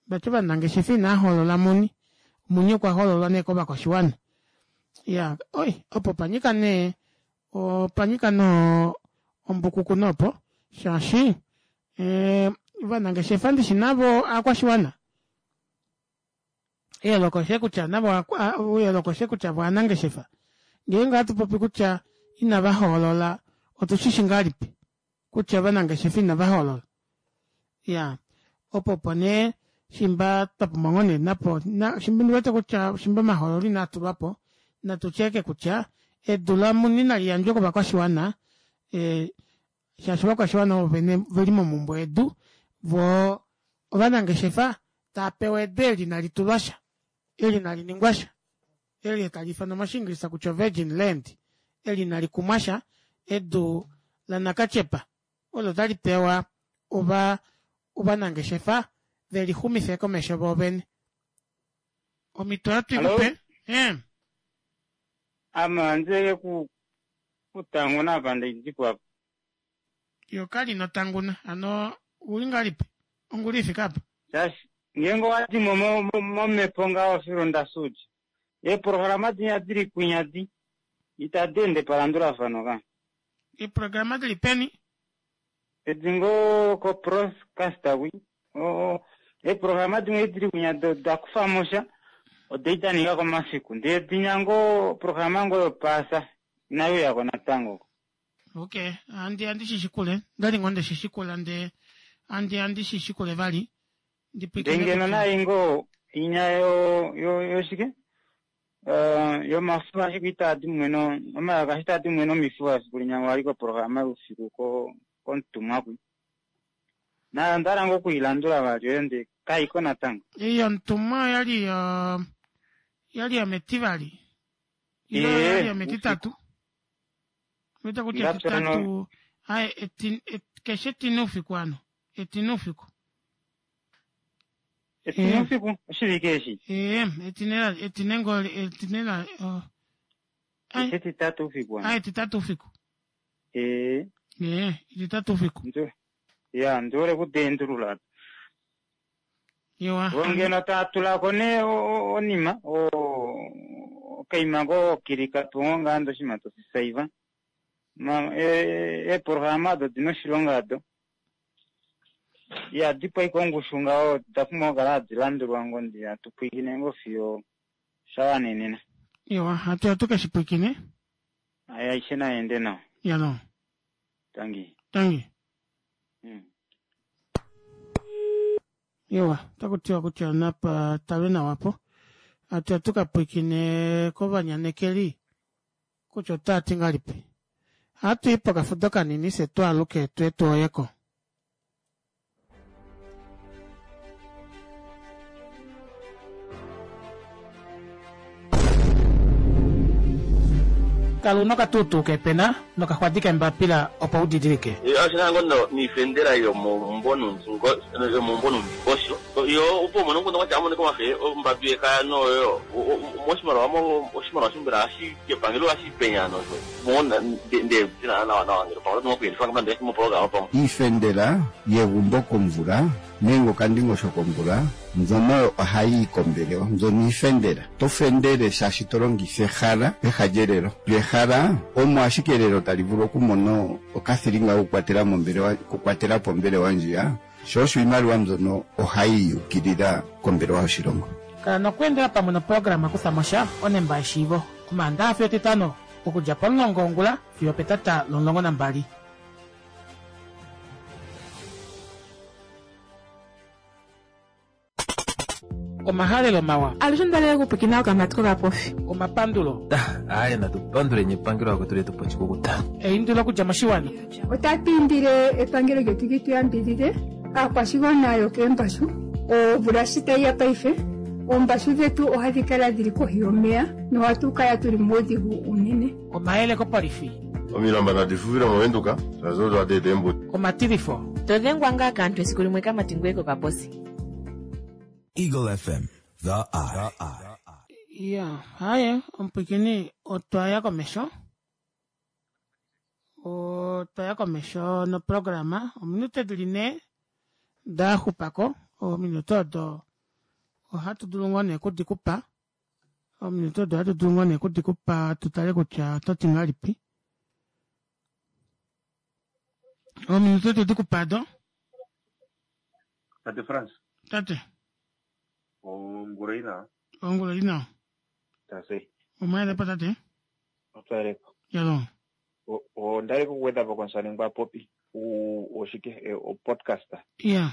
vati ovanangeshefa inaa hoolola muni muni okwa hoololwa nee kovakwashiwana ya oi opo panyika nee opanyika noo ombukuku nopo shaashi eh, ovanangeshefa ndishi navo aakwashiwana eyooloko oshe kutya navo eyooloko oshe kutya vo aanangeshefa ngeenge ohatu popi kutya inava hoolola otu shi shi ngahelipi kutya ovanangeshefa inava hoolola ya opo opo nee shimba twa pumbwa ngoo nee napo shimba ndi wete kutya shimba omahoololo inaa tulwa po natu tyeke kutya edu lamuni nali yandjwe kovakwashiwana e, shaashi ovakwashiwana ovo vene veli momumbwe yedu vo ovanangeshefa tava pewa edu eli nali tulwa sha eli nali ningwa sha eli tali ifanwa moshiingilisa kutya virgin land eli nali kumwa sha edu lanakatyepa olo tali pewa ova ovanangeshefa ve lixumife komesho vo vene omhito ohatu i kupe eh. Ame ohandi ku kutanguna apa ndidikwa. Yo kali notanguna hano ouli ngahelipi ongula ifike apa? Shaashi ngeenge owa di mo momhepo ngaho filunda suji, eeprograma dinya di li kwinya di itadi ende palandulafano ka. Eeprograma di li peni? Edi ngoo koprocaster kwi. Eeprograma dimwe edi di li kwinya oda kufa mo sha, ode da ninga komafiku. Ndee dinya ngoo oprograma ngoo yopaasa inai uya ko natango. Okay, handi handi shi shikule. Ndali ngoo nde shi shikula ndee handi handi shi shikule vali. Ndi pwikine Ndee ngeno kutya nai ngoo inya yo yo yoshike? Eh, yomafufu ashike itaa di mumwe no omalaka ashike itaa di mumwe nomifufu efiku linya wali koprograma youfiku ko komutumwa kwi. Nayo onda hala ngoo okuilandula vali oyo ndee kaiko natango. Ei yomutumwa oyali yo yali yometivali. Ile oyali Ee, yometitatu. Wete kutya Ngapya no- etitatu aye eti, et, keshe etine oufiku ano etine oufiku Etine oufiku oshivike eshi ee etine la etine ngo etine la oh. Keshe etitatu oufiku ano aye etitatu oufiku ee ee etitatu oufiku ya ndi hole okudeendulula Iwa. Vo ngeno taa tula ko nee onima okaima ngoo kilika po ngoo ngaa ndee oshinima toshi saiva. Ma eeprograma odo odina oshilonga ado. Ihadi pwa ongushu ngaho oda pumbwa okukala hadi landulwa ngoo ndee hatu pwilikine ngoo fiyo sha wanenena. Iwa, hatu ya tuke shi pwilikine. Aishe nai ende nawa. Yalo. Tangi. Tangi. Iwa, otaku tiwa kutya napa talwe nawa po. Hatu ya tuka pwilikine kovanyanekeli kutya otava ti ngahelipi. Ohatu i pokafudo kanini fye twaaluke tuye tuoyeko. Kala una okatuutuu keepena nokaxwadi keembapila opo u didilike. Oshi na ngoo niifendela yomomumvo nomundingosho yo opo umone omukundu gwatya amonike omafe ombambi yekaya noyo moshimaliwa oshimaliwa shombela ohashi kepangelo ohashi penya nosho mo nde nawa nawa ngele pamwe oto okuyelifa ngamba moprograma pamwe. Iifendela yegumbo komvula nenge okandingosho komvula mbyono ohayi yi kombelewa. Mbyono iifendela. Oto fendele shaashi to longitha ehala peha lyelelo. Lyo ehala omo ashike elelo tali vulu okumona okathilinga kokukwatela mombelewa, okukwatela po ombelewa ndjiya, sho osho iimaliwa mbyono ohayi yukilila kombelewa yoshilongo. Kala nokweendela pamwe noprograma Kutha mo sha onemba yeshiivo, Omaandaha fiyo Etitano, okudja pomulongo wongula fiyo opetata lomulongo nambali. Omahalelo mawa. Alushe onda okupwikina okamati kokapofi. Omapandulo. Aye natu panduleni epangelo akwetu letu po oshikukuta. Eindilo okudja moshiwana. Otatu indile epangelo lyetu li tu yambidhidhe aakwashigwana yokeembashu. Omvula shi tayi ya paife, oombashu dhetu ohadhi kala dhili kohi yomeya nohatu kala tuli muudhigu uunene. Omayele kopolifi. Omilamba nadi fufile mOvenduka, shaashi odo hadi eta eembuto. Omatilifo. To dhengwa ngaa kaantu esiku limwe kamati ngoye kokaposi. Eagle FM, the eye. Ya, haye, omupwikini otwa ya komesho. Otwa ya komesho noprograma. Ominute dili ne da xupako. Ominute odo ohatu dulu ngoo nee okudi kupa. Ominute odo ohatu dulu ngoo nee okudi kupa tu tale kutya oto ti ngahelipi. Ominute otwe di kupa do. Tate Frans. Tate. Ongula ina. Ongula ina. Tate. Omwayelepo tate. Otwayelepo. Yalo. Onda li kugwedha po komusamane ngwa popi oshike e, o-podcast. Yeah.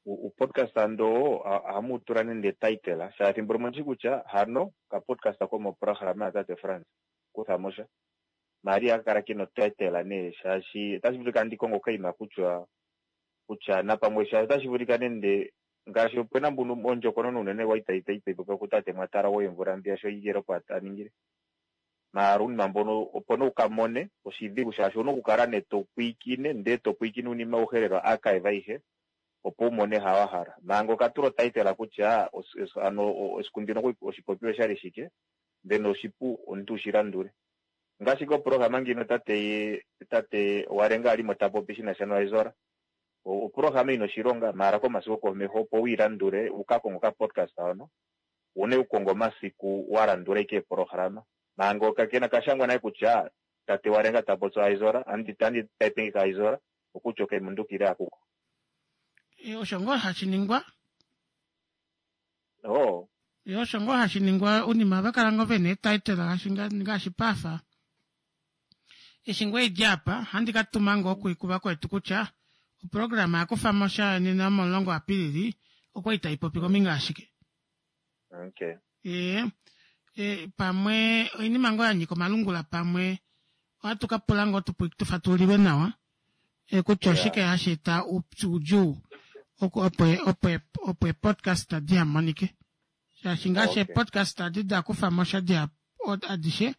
U-podcast ando ohamu tula nende title shaashi thimbo limwe ondi kutya hano ka podcast komoprograma yatate Frans kutha mo sha. Maria ihaka kala kena otitle nee shaashi otashi vulika ndi konge okaima kutya kutya napamwe shaashi otashi vulika nende ngaashi opena mbuno ondjokonona unene wali tayi tayi popiwa kutate Mwatara woemvula mbiya sho igelo opo a ningile. Maara uunima mbono opo nee uka mone oshidhigu shaashi owuna okukala nee to pwiikine ndee to pwiikine uunima auhe lela archive ayihe opo u mone ha wa hala. Manga okatula otitle kutya ano esiku ndino oshipopiwa oshali shike then oshipu omuntu ushi landule. Ngaashi koprograma ngino tate tate Walenga a li mo ta popi shi na sha noIzora. Oprograma ina oshilonga maara komasiku gokomeho opo wu ilandule wu ka konge okapodcast hono wu na okukonga omasiku wa landula ike eeprograma. Manga okakena kashangwa nale kutya tate Walenga ta popi oIzora andi andi type ngika Izora okutya okemundukile akuko. Osho ngoo hashi ningwa. Oh. Ye osho ngoo hashi ningwa unima ova kala ngoo vena eetitle ngaashi ngaashi pafa. Eshi ngoo idi apa handi ka tuma ngoo kuvakwetu kutya oprograma ya kufa mo sha nena yomomulongo Apilili okwali tai popi kombinga yashike. Okay. Ee, e, pamwe oinima ngoo ya nyika omalungula pamwe ohatu ka pula ngoo tu, tu fatulilwe nawa e, kutya oshike hashi eta oudjuu opo opo opo epodcast di hamonike shaashi ngaashi okay. epodcast adi da kufa mo sha dihapu adishe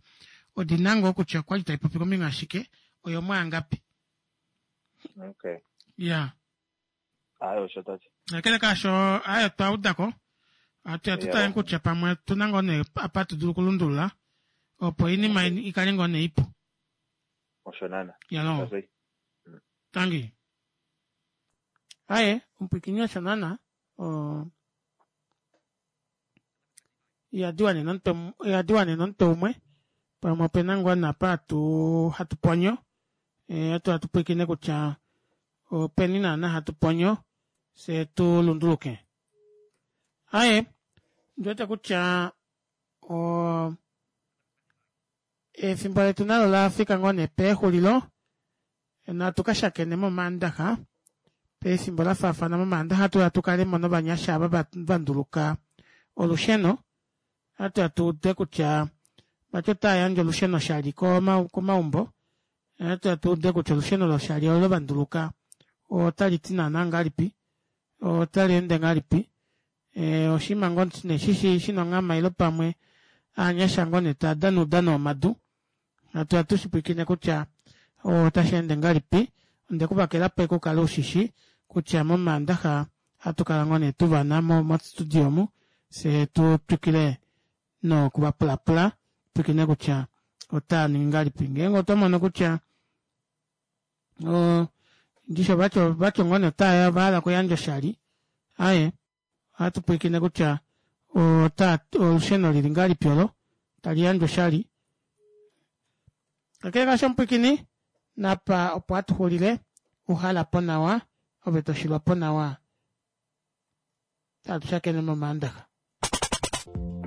odi na ngoo kutya okwali tai popi kombinga yashike oyo mwaangapi okay. ya Aye osho tati. Kakele kaasho aye otwa uda ko. Ohatu ya tu tale kutya pamwe otu na ngoo nee apa hatu dulu okulundulula opo oinima i kale ngoo nee ipu. Osho naana. Yaloo. Tangi. Aye, omupwiikini osho naana. O ihadi wanene omutwe ihadi wanene omutwe umwe pamwe ope na ngoo napa hatu hatu ponyo eh, hatu hatu pwiikine kutya openi naana hatu ponyo se tu lunduluke aye ndiwete kutya o efimbo letu nalo la fika ngoo nee pexulilo Natu ka shakene mOmaandaxa pefimbo la faafana mOmaandaxa ohatu ya tu kale mo novanyasha ava va nduluka olusheno. Ohatu ya tu ude kutya vati otava yandje olusheno oshali komaumbo. Ohatu ya tu ude kutya olusheno loshali olo va nduluka otali ti naanaa ngahelipi, otali ende ngahelipi. Oshinima ngoo nee shi shi na onghama ile pamwe aanyasha ngoo nee tava dana oudano womadu. Hatu ya tu shi pwilikine kutya otashi ende ngahelipi. Onde ku vakela po u kale u shi shi kutya mOmaandaxa ohatu kala ngoo nee tu va na mo mostudio omu, fye tu twikile noku va pulapula, tu pwilikine kutya otaa ningi ngahelipi. Ngeenge otwa mono kutya ndishi ovatya ngoo nee otava hala okuyandja oshali, aaye. Ohatu pwilikine kutya ota olusheno lili ngahelipi olo tali yandjwa oshali. Kakele kaasho omupwilikini, napa opo hatu xulile, uhala po nawa, ove to shilwa po nawa. Hatu shakene mOmaandaxa.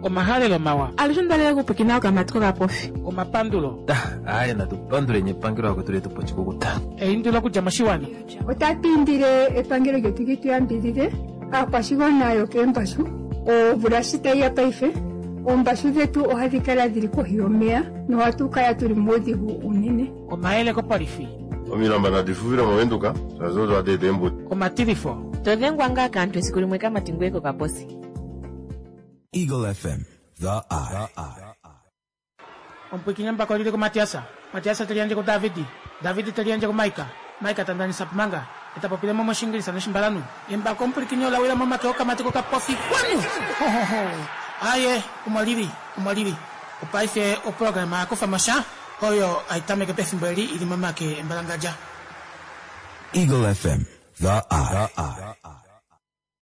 Omahalelo mawa. Alushe onda lela okupwilikina okamati kokapofi. Omapandulo. Aaye natu panduleni epangelo lakwetu letu pa oshikukuta. Eindilo okudja moshiwana. Otatu indile epangelo lyetu li tu yambidhidhe aakwashigwana yokeembashu. Omvula shi tayi ya paife, oombashu dhetu ohadhi kala dhili kohi yomeya nohatu kala tuli muudhigu uunene. Omayele kopolifi. Omilamba nadi fufile mOvenduka, shaashi odo hadi eta eembuto. Omatilifo. To dhengwa ngaa kaantu esiku limwe kamati ngoye kokaposi. Eagle FM, The Eye. Omupwiikini embako oli li kuMatias, Matias te liyandje kuDavid, David te liyandje kuMaika, Maika ta ndanisa Pumanga, e ta popile mo mOshiingilisa nOshimbalanhu. Embako omupwilikini ola wila momake okamati kokapofi. Kwanu! Ho, ho, ho! Aaye, omo li li, omo li li. Opaife oprograma ya kufa mo sha, oyo hai tameke pefimbo eli i li momake embalangadja. Eagle FM, The Eye.